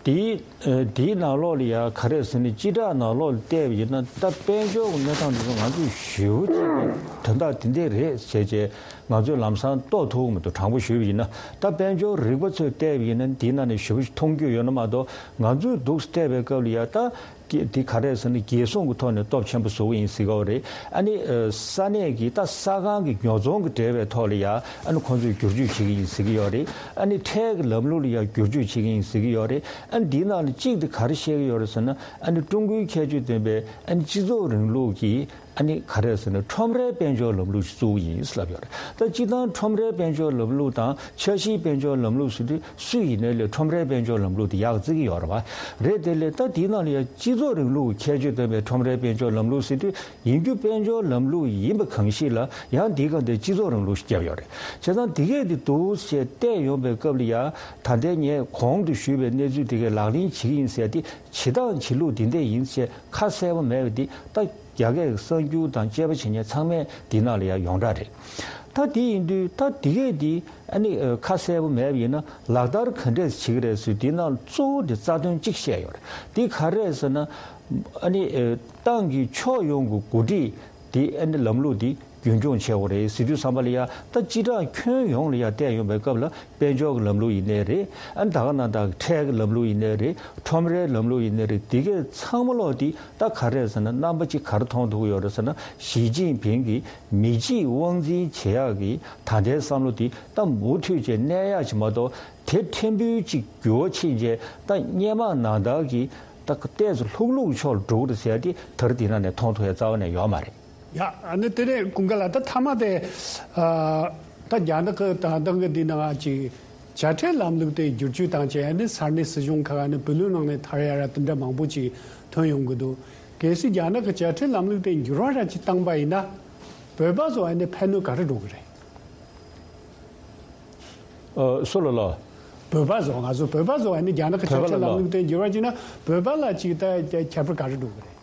དེའི་ཨ་དེའི་ནང་ལོགས་ལ་ཡ་ག་རེ་ཟེར་ན། སྤྱི་བསྒྲགས་ནང་ལོགས་ལ་བལྟས་པ་ཡིན་ན། ད་དཔལ་འབྱོར་གྱི་གནས་སྟངས་འདི་ཚོ་ང་ཚོས་ཞེ་པོ་ཅིག་གི་དོན་དག་འདི་འདྲས་རེད་ཟེར་བྱས་ང་ཚོས་ལམ་སང་རྟོགས་ཐུབ་ཀྱི་མི་འདུག་དྲང་པོ་ཞུས་པ་ཡིན་ན། ད་དཔལ་འབྱོར་རིག་པ་ཚོས་བལྟས་པ་ཡིན་ན། འདིའི་ནང་ནས་ཞེ་པོ་ཅིག་མཐོང་རྒྱུ་ཡོད་ན་མ་གཏོགས། ང་ཚོས་འདུག་སེ་བལྟས་པའི་སྐབས་ལ་ཡ་ད་ཀྱི་འདི་ག་རེ་ཟེར་ན། རྒྱལ་སྲུང་གི་ཐོག་ནས་སྟོབས་ཆེན་པོ་བཟོ་གི་ཡིན་ཟེར་གྱི་ཡོད་རེད། ཨ་ནི་ཨ་ས་གནས་ཀྱི་ད་ས་ཁང་གི་ཉོ་ཚོང་གི་འབྲེལ་བའི་ཐོག་ལ་ཡ་ཨ་ནི་ཁོང་ཚོས་བསྒྱུར་བཅོས་བྱེད་ཀྱི་ཡིན་ཟེར་གྱི་ཡོད་རེད། ཨ་ནི་ཁྲལ་གྱི་ལམ་ལུགས་ལ་ཡ་བསྒྱུར་བཅོས་བྱེད་ཀྱི་ཡིན་ཟེར་གྱི་ཡོད་རེད། ཨ་ནི་འདིའི་ནང་ལ་གཅིག་དེ་ག་རེ་བཤད་ཀྱི་ཡོད་རེད་ཟེར་ན། ཨ་ནི་ཀྲུང་གོའི་ཁྱད་ཆོས་ལྡན་པའི་ཨ་ནི་སྤྱི་ཚོགས་རིང་ལུགས་ཀྱི་ ཨ་ནི་ག་རེ་ཟེར་ན་ཁྲོམ་རའི་དཔལ་འབྱོར་ལམ་ལུགས་ཤིག་བཙུགས་ཡིན་ལབ་ཡོད་རེད། ད་སྤྱིར་བཏང་ཁྲོམ་རའི་དཔལ་འབྱོར་ལམ་ལུགས་དང་འཆར་གཞིའི་དཔལ་འབྱོར་ལམ་ལུགས་ཟེར་དུས་སུ་ཡིན་ནའི་ལས་ཁྲོམ་རའི་དཔལ་འབྱོར་ལམ་ལུགས་དེ་ཡག་བརྩི་གི་ཡོད་རེད་བ། རེད་དེ་ལས་ད་དེའི་ནང་ལ་ཡང་སྤྱི་ཚོགས་རིང་ལུགས་ཀྱི་ཁྱད་ཆོས་ལྡན་པའི་ཁྲོམ་རའི་དཔལ་འབྱོར་ལམ་ལུགས་ཟེར་དུས་ཡིན་རྒྱུ་དཔལ་འབྱོར་ལམ་ལུགས་ཡིན་པ་གང་ཞིག་ལ་ཡང་དེའི་སྒང་དེ་སྤྱི་ཚོགས་རིང་ལུགས་ཤིག་བརྒྱབ་ཡོད་རེད། བྱས་ཙང་དེ་གས་དེ་འདུག་ཅེས་བལྟས་ཡོང་པའི་སྐབས་ལ་ཡང་ད་ལྟའི་ངས་གོང་དུ་ཞུས་པའི་གནས་ཚུལ་དེ་གས་ལག་ལེན་བྱེད་ཀྱི་ཡིན་ཟེར་ཏེ་བྱེད་སྟངས་བྱེད་ལུགས་འདི་འདྲས་ཡིན་ཞེས་ཁ་གསལ་པོ་མེད་པ་འདི་ད་རྒྱ་སྐད་ཀྱི་གསར་འགྱུར་དང་དཔྱད་པ་བྱེད་མཁན་ཚང་མས་འདི་ནང་ལ་ཡང་ཡོངས་གྲགས་རེད། ད་འདི་ཡིན་དུས་ད་འདི་གས་འདི་ཨ་ནི་ཁ་གསལ་པོ་མེད་པ་ཡིན་ན་ལག་བསྟར་ག་འདྲས་བྱེད་ཀྱི་རེད་ཟེར་འདི་ནང་གཙོ་བོ་འདི་རྩ་དོན་གཅིག་བཤད་ཡོད་རེད། འདི་ག་རེད་ཟེར་ན་ཨ་ནི་ཏང་གི་ཕྱོགས་ཡོངས་ཀྱི་འགོ་ཁྲིད་འདི་ཨ་ནི་ལམ་ལུགས་འདི་རྒྱུན་འཁྱོངས་བྱེད་དགོས་རེད་ཟེར་དུས་ཙམ་པ་ལ་ཡ་ད་སྤྱི་བཏང་ཁྱོན་ཡོངས་ལ་ཡ་བལྟས་ཡོང་པའི་སྐབས་ལ་དཔལ་འབྱོར་གྱི་ལམ་ལུགས་ཡིན་ནའི་རེད། ཨ་ནི་ད་ག་ནང་ད་ཁྲལ་གྱི་ལམ་ལུགས་ཡིན་ནའི་རེད། ཁྲོམ་རའི་ལམ་ལུགས་ཡིན་ནའི་རེད། འདི་གས་ཚང་མ་ལོག་འདི་ད་ག་རེ་ཟེར་ན་རྣམ་པ་གཅིག་ག་རེ་མཐོང་ཐུབ་ཀྱི་ཡོད་རེད་ཟེར་ན་ཞི་ཅིན་ཕིང་གིས་མི་གཅིག་དབང་འཛིན་བྱེད་ཡག་གི་ད་ལྟའི་བསམ་བློ་འདི་ད་མུ་མཐུད་བྱས་གནས་ཡག་ཅིག་མ་གཏོགས་དེ་ཕྲན་བུ་གཅིག་འགྱུར་བ་ཕྱིན་རྗེས་ད་སྔོན་མ་ནང་ལྟར་གྱི་ད་ཏོག་ཙམ་ལྷུག་ལྷུག་ཕྱོགས་ལ་འགྲོ་གི་རེད་ཟེར་ཡ་དེ་ད་རེས་འདི་ནང་ནས་མཐོང་ཐུབ་ཡ་རྩ་བ་ནས་ཡོད་མ་རེད། ཡ། ཨ་ནི་དེ་ནས་ཀུན་དགའ་ལགས་ད་མཐའ་མ་དེ། ཨ། ད་རྒྱ་ནག་གི་ད་ལྟ་གི་འདི་ནང་ཅིག་དཔྱ་ཁྲལ་ལམ་ལུགས་དེ་བསྒྱུར་བཅོས་བཏང་བྱས་ཨ་ནི་ས་གནས་སྲིད་གཞུང་ཁག་ཨ་ནི་བུ་ལོན་ནང་ནས་ཐར་ཡ་ར་དེ་འདྲ་མང་པོ་ཅིག་ཐོན་ཡོང་གི་འདུག་གལ་སྲིད་རྒྱ་ནག་གི་དཔྱ་ཁྲལ་ལམ་ལུགས་དེ་འགྱུར་བ་ར་ཅིག་བཏང་པ་ཡིན་ན། བོད་པ་ཚོ་ཨ་ནི་ཕན་གནོད་ག་རེ་འགྲོ་གི་རེད། ཨ། སུ་ལ་ལ། བོད་པ་ཚོ་ང་ཚོ་བོད་པ་ཚོ་ཨ་ནི་རྒྱ་ནག་གི་བོད་པ་ལ་ལ། དཔྱ་ཁྲལ་ལམ་ལུགས་དེ་འགྱུར་བ་བྱས་ན་བོད་པ་ལ་ཅིག་ད་ཁྱད་པར་ག་རེ་འགྲོ་གི་རེད།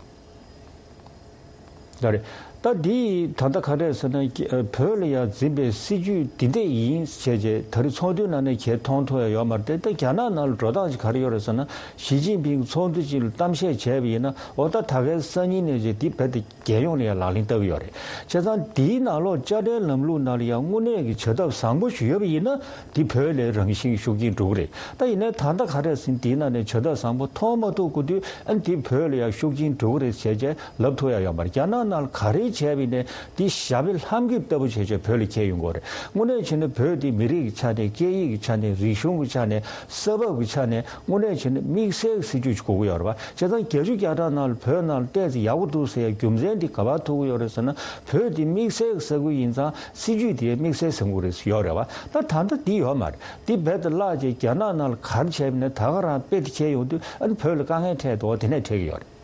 ད་རེད། ད་འདི་ད་ལྟ་ག་རེ་ཟེར་ན་ཀྱི་ཨ། བོད་ལ་ཡང་འཛིན་པའི་སྲིད་ཇུས་འདི་འདྲས་ཡིན་ཟེར་བྱས་ད་རེས་ཚོགས་འདུའི་ནང་ནས་གལ་མཐོང་ཐུབ་ཡ་ཡོད་མ་རེད་དེ། ད་རྒྱ་ནག་ནང་ལ་འགྲོ་སྟངས་ཅིག་ག་རེ་ཡོད་རེད་ཟེར་ན་ཞི་ཅིན་ཕིང་ཚོགས་འདུ་ཅིག་ལ་གཏམ་བཤད་བྱས་པ་ཡིན་ན་འོ་ད་ད་གའི་སང་ཉིན་ནས་བྱས་འདི་བོད་དེ་རྒྱལ་ཡོངས་ལ་ཡང་ལག་ལེན་བསྟར་གྱི་ཡོད་རེད། བྱས་ཙང་འདིའི་ནང་ལོགས་དཔྱ་ཁྲལ་ལམ་ལུགས་ནང་ལ་ཡང་དངོས་གནས་ཀྱི་བྱ་ཐབས་བཟང་པོ་ཞིག་ཡོད་པ་ཡིན་ན་འདི་བོད་ལ་རང་བཞིན་ཤུགས་རྐྱེན་འགྲོ་གི་རེད། ད་ཡིན་ནའི་ད་ལྟ་ག་རེ་ཟེར་ན་འདིའི་ནང་ནས་བྱ་ཐབས་བཟང་པོ་མཐོང་མ་ཐུབ་དགོས་དུས་ཨ་ནི་འདི་བོད་ལ་ཡང་ཤུགས་རྐྱེན་འགྲོ་གི་རེད་ཟེར་བྱས་ལབ་ཐུབ་ཡ་ཡོད་མ་རེད། རྒྱ་ནག་ནང་ལ་ག་རེ་བྱས་པ་ཡིན་ནའི་འདི་ཞབས་པད་ལྷམ་གྱིས་བཏབ་པ་བྱས་བྱས་བོད་ལ་ཁྱེར་ཡོང་གི་རེད། དངོས་གནས་བྱས་ན་བོད་འདི་མི་རིགས་ཀྱི་ཆ་ནས་སྐད་ཡིག་གི་ཆ་ནས་རིག་གཞུང་གི་ཆ་ནས་ས་བབ་ཀྱི་ཆ་ནས་དངོས་གནས་བྱས་ན་དམིགས་བསལ་གྱི་སྲིད་ཇུས་ཅིག་དགོས་ཀྱི་ཡོད་རེད་བ། བྱས་ཙང་བརྒྱད་ཅུ་གྱ་གྲངས་ནང་ལ་བོད་ནང་ལ་ཏོག་ཙམ་ཡག་པོ་འདུག་ཟེར་ཡ་རྒྱུ་མཚན་འདི་ག་པར་ཐུག་གི་ཡོད་རེད་ཟེར་ན་བོད་འདི་དམིགས་བསལ་གྱི་ས་ཁུལ་ཡིན་ཙང་སྲིད་ཇུས་དེ་དམིགས་བསལ་ས་ཁུལ་རེད་ཡོད་རེད་བ། ད་ད་ལྟ་འདི་ཡོད་མ་རེད། འདི་རྦད་དེ་བརླག་བྱས་རྒྱ་ནག་ནང་ལ་ག་རེ་བྱས་པ་ཡིན་ན་ད་ག་རང་དཔེ་དེ་ཁྱེར་ཡོང་དུས་ཨ་ནི་བོད་ལ་དཀའ་ངལ་འཕྲད་འདུག་དེ་ནས་འཕྲད་ཀྱི་ཡོད་རེད།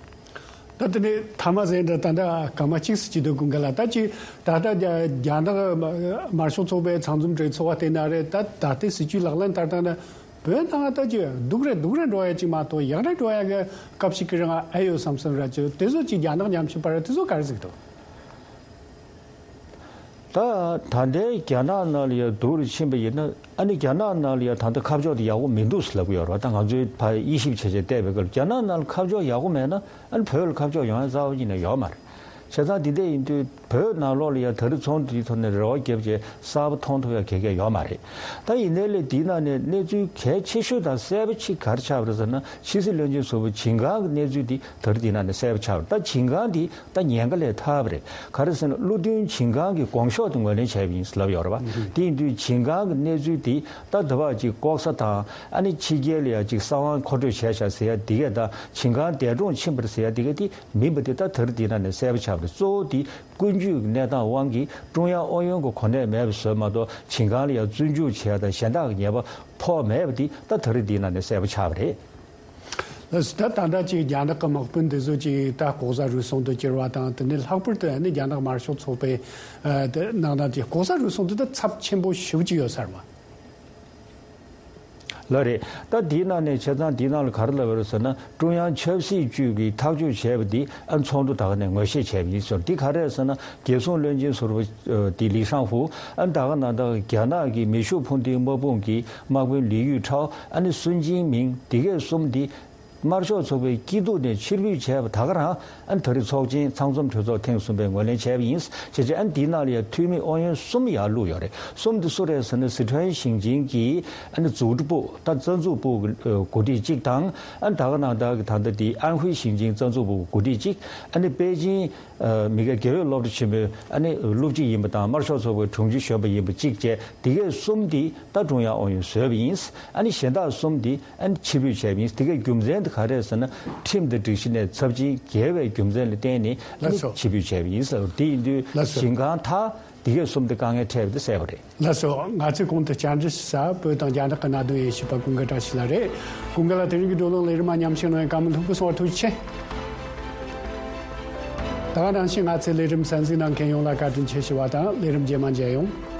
ད་དེ་ནས་ཐ་མ་ཟེར་འདྲ་ད་ལྟ་སྐར་མ་གཅིག་ཙམ་ཅིག་འདུག་ཀུན་དགའ་ལགས། ད་ཅིག་ད་ལྟ་རྒྱ་རྒྱ་ནག་དམར་ཤོག་ཚོགས་པའི་ཚང་འཛོམས་གྲོས་ཚོགས་པ་དེ་ན་རེད། ད་ད་ལྟའི་སྲིད་ཇུས་ལག་ལེན་བསྟར་སྟངས་ན་བོད་ནང་ད་ཅིག་སྡུག་རེ་སྡུག་རེ་འགྲོ་ཡ་ཅིག་མ་གཏོགས་ཡག་རེ་འགྲོ་ཡ་གི་སྐབས་ཤིག་གི་རིང་ཨེ་ཡོད་བསམ་བསམ་ར་ཅིག་དེ་ཚོ་ཅིག་རྒྱ་ནག་ཉམ་ཆུང་པ་ར་དེ་ཚོ་ག་རེ་ཟིག་འདུག་ད་ད་ལྟའི་རྒྱ་ནག་ནང་ལ་ཡ་སྡུག་རུ་ཕྱིན་པ་ཡིན་ན་ཨ་ནི་རྒྱ་ནག་ནང་ལ་ཡ་ད་ལྟ་ཁ་ཕྱོགས་དེ་ཡག་པོ་མི་འདུག་ཟེར་ལབ་ཀྱི་ཡོད་རེད་བ། ད་ང་ཚོའི་ཕ་དབྱེ་ཞིབ་བྱས་བྱས་བལྟས་པའི་སྐབས་རྒྱ་ནག་ནང་ལ་ཁ་ཕྱོགས་ཡག་པོ་མེད་ན་ཨ་ནི་བོད་ལ་ཁ་ཕྱོགས་ཡོང་ཡ་རྩ་བ་ཉིད་ནས་ཡོད་མ་རེད། བྱས་ཙང་འདི་འདྲ་ཡིན་དུས་བོད་ནང་ལོགས་ལ་ཡ་ད་རེས་ཚོགས་འདུའི་ཐོག་ནས་རེ་བ་བརྒྱབ་བྱས་གསར་པ་མཐོང་ཐུབ་ཡ་ག་གེ་ཡོད་མ་རེད། ད་ཡིན་ནའི་ལས་འདིའི་ནང་ནས་གནས་ཚུལ་གལ་ཆེ་ཤོས་དང་གསལ་པོ་ཅིག་ག་རེ་ཆགས་པ་རེད་ཟེར་ན་ཕྱི་སྲིད་བློན་ཆེན་ཟུར་པ་ཞིན་ཀང་གི་གནས་ཚུལ་འདི་ད་རེས་འདིའི་ནང་ནས་གསལ་པོ་ཆགས་པ་རེད། ད་ཞིན་ཀང་འདི་ད་ཉེན་ཁ་ལས་ཐར་བ་རེད། ག་རེ་ཟེར་ན་ཀླུ་མདུན་ཞིན་ཀང་གི་དགོངས་ཞོག་དེ་ངོས་ལེན་བྱས་པ་ཡིན་ཟེར་ལབ་ཡོད་རེད་བ། དེ་ཡིན་དུས་ཞིན་ཀང་གི་གནས་ཚུལ་དེ་ད་དེ་བ་ཅིག་ལྐོག་ཟ་དང་ཨ་ནི་ཕྱི་རྒྱལ་ལ་ཡ་ཅིག་གསང་བ་མཁོ་སྤྲོད་བྱས་ཤག་ཟེར་ཡ་དེ་གས་དང་ཞིན་ཀང་འདས་གྲོངས་ཕྱིན་པ་རེད་ཟེར་ཡ་དེ་གས་དེ་མིན་པ་དེ་ད་དེ་རིང་འདི་ནང་ནས་གསལ་པོ་ཆགས་པ་རེད། གཙོ་བོ་དེ་ཀུན་སྤྱོད་ཀྱི་གནས་སྟངས་དབང་གིས་ཀྲུང་དབྱང་ཨུ་ཡོན་གྱི་གོ་གནས་མེད་པ་བཟོས་མ་གཏོགས་ཞིན་ཀང་ལ་ཡ་བཙོན་འཇུག་བྱས་ཡ་དང་གཞན་དག་གི་ཉེས་པ་ཕོག་མེད་པ་དེ་ད་དེ་རིང་འདི་ནང་ནས་གསལ་པོ་ཆགས་པ་རེད། ལགས་སོ། ད་ད་ལྟ་ཅིག་རྒྱ་ནག་གི་དམག་དཔོན་འདི་ཚོ་ཅིག་ད་ལྐོག་ཟ་རུལ་སུངས་དུ་གྱུར་བ་དང་དེ་ནས་ལྷག་པར་དུ་ཨ་ནི་རྒྱ་ནག་དམར་ཤོག་ཚོགས་པའི་ཨ་དེ་ནང་ན་ཅིག་ལྐོག་ཟ་རུལ་སུངས་དེ་ད་ཚབས་ཆེན་པོ་ཞེ་པོ་ཅིག་ཡོད་ས་རེད་མ། ལགས་རེད། ད་དེའི་ནང་ནས་བྱས་ཙང་དེའི་ནང་ལ་ག་རེ་ལབ་ཡོད་རེད་ཟེར་ན་ཀྲུང་དབྱང་ཆབ་སྲིད་ཅུས་ཀྱིས་ཐག་གཅོད་བྱས་པ་འདི་ཨ་ཚོགས་འདུ་དག་ནས་ངོས་བཞེས་བྱས་པ་ཡིན་ཟེར། འདི་ག་རེ་རེད་ཟེར་ན་རྒྱལ་སྲུང་བློན་ཆེན་ཟུར་པ་ཨ་དེ་ལི་ཧྲང་ཧུ་ཨ་ད་ག་ནང་ད་རྒྱ་ནག་གི་མེ་ཤུགས་འཕུར་མདེལ་དམག་དཔུང་གི་དམག་དཔོན་ལི་ཡུས་ཁྲའོ་ཨ་ནི་སུན་ཅིན་མིང་འདི་གས་གསུམ་འདི་དམར་ཤོག་ཚོགས་པའི་སྐྱིད་སྡུག་ནས་ཕྱིར་འབུད་བྱས་པ་ད་ག་རང་ཨ་ནི་ད་རེས་ཚོགས་ཆེན་ཚང་འཛོམས་གྲོས་ཚོགས་ཐེངས་གསུམ་པའི་ངོས་ལེན་བྱས་པ་ཡིན། བྱས་ཙང་ཨ་ནི་འདིའི་ནང་ལ་ཡང་འཐུས་མི་ཨུ་ཡོན་གསུམ་ཡར་བླུགས་ཡོད་རེད། གསུམ་འདི་སུ་རེད་ཟེར་ན་སི་ཁྲོན་ཞིང་ཆེན་གྱི་ཨ་ནི་ཛུའུ་ཀྲི་པུའུ་ད་རྩ་འཛུགས་པུའུ་གི་འགོ་ཁྲིད་གཅིག་དང་ཨ་ནི་ད་ག་ནང་ད་གི་ད་ལྟ་འདི་ཨན་ཧུའེ་ཞིང་ཆེན་རྩ་འཛུགས་པུའུ་གི་འགོ་ཁྲིད་གཅིག་ཨ་ནི་པེ་ཅིན་མི་དགེ་དགེ་འོས་སློབ་གྲྭ་ཆེན་མོའི་ཨ་ནི་སློབ་སྤྱི་ཡིན་པ་དང་དམར་ཤོག་ཚོགས་པའི་དྲུང་ཆེ་གཞོན་པ་ཡིན་པ་གཅིག་བཅས་འདི་གས་གསུམ་འདི་ད་ཀྲུང་དབྱང་ཨུ་ཡོན་བཟོས་པ་ཡིན། ཨ་ནི་གཞན་དག་གསུམ་འདི་ཨ་ནི་ཕྱིར་འབུད་བྱས་པ་ཡིན། དེ་གའི་རྒྱུ་མཚན་དེ་ ག་རེ་ཟེར་ན། ཁྲིམས་དང་སྒྲིག་གཞི་ནས་ཚབས་ཆེན་འགལ་བའི་རྒྱུ་མཚན་ལ་བརྟེན་ནས་ལགས་སོ། ཕྱིར་འབུད་བྱས་པ་ཡིན་ཟེར་བ་དེ་ཡིན་དུས། ལགས་སོ། ཞིང་ཁང་དག་འདི་གས་གསུམ་དེ་དཀའ་ངལ་འཕྲད་པ་དེ་གསལ་པོ་རེད། ལགས་སོ། ང་ཚོས་གོང་དུ་བཅར་འདྲི་ཞུ་ས་བོད་དང་རྒྱ་ནག་གི་གནད་དོན་དབྱེ་ཞིབ་པ་ཀུན་དགའ་བཀྲ་ཤིས་ལགས་རེད། ཀུན་དགའ་ལགས། དེ་རིང་གི་བགྲོ་གླེང་ལས་རིམ་མ་མཉམ་ཞུགས་གནང་བའི་བཀའ་མོལ་ལྷུག་པོ་གསུང་བར་ཐུགས་རྗེ་ཆེ། ད་ག་ནང་བཞིན་ང་ཚོའི་ལས་རིམ་གསན་གཟིགས་གནང་མཁན་ཡོངས་ལ་བཀའ་དྲིན་ཆེ་ཞུ་བ་དང་། ལས་རིམ་རྗེས་མ་མཇལ་ཡོང་།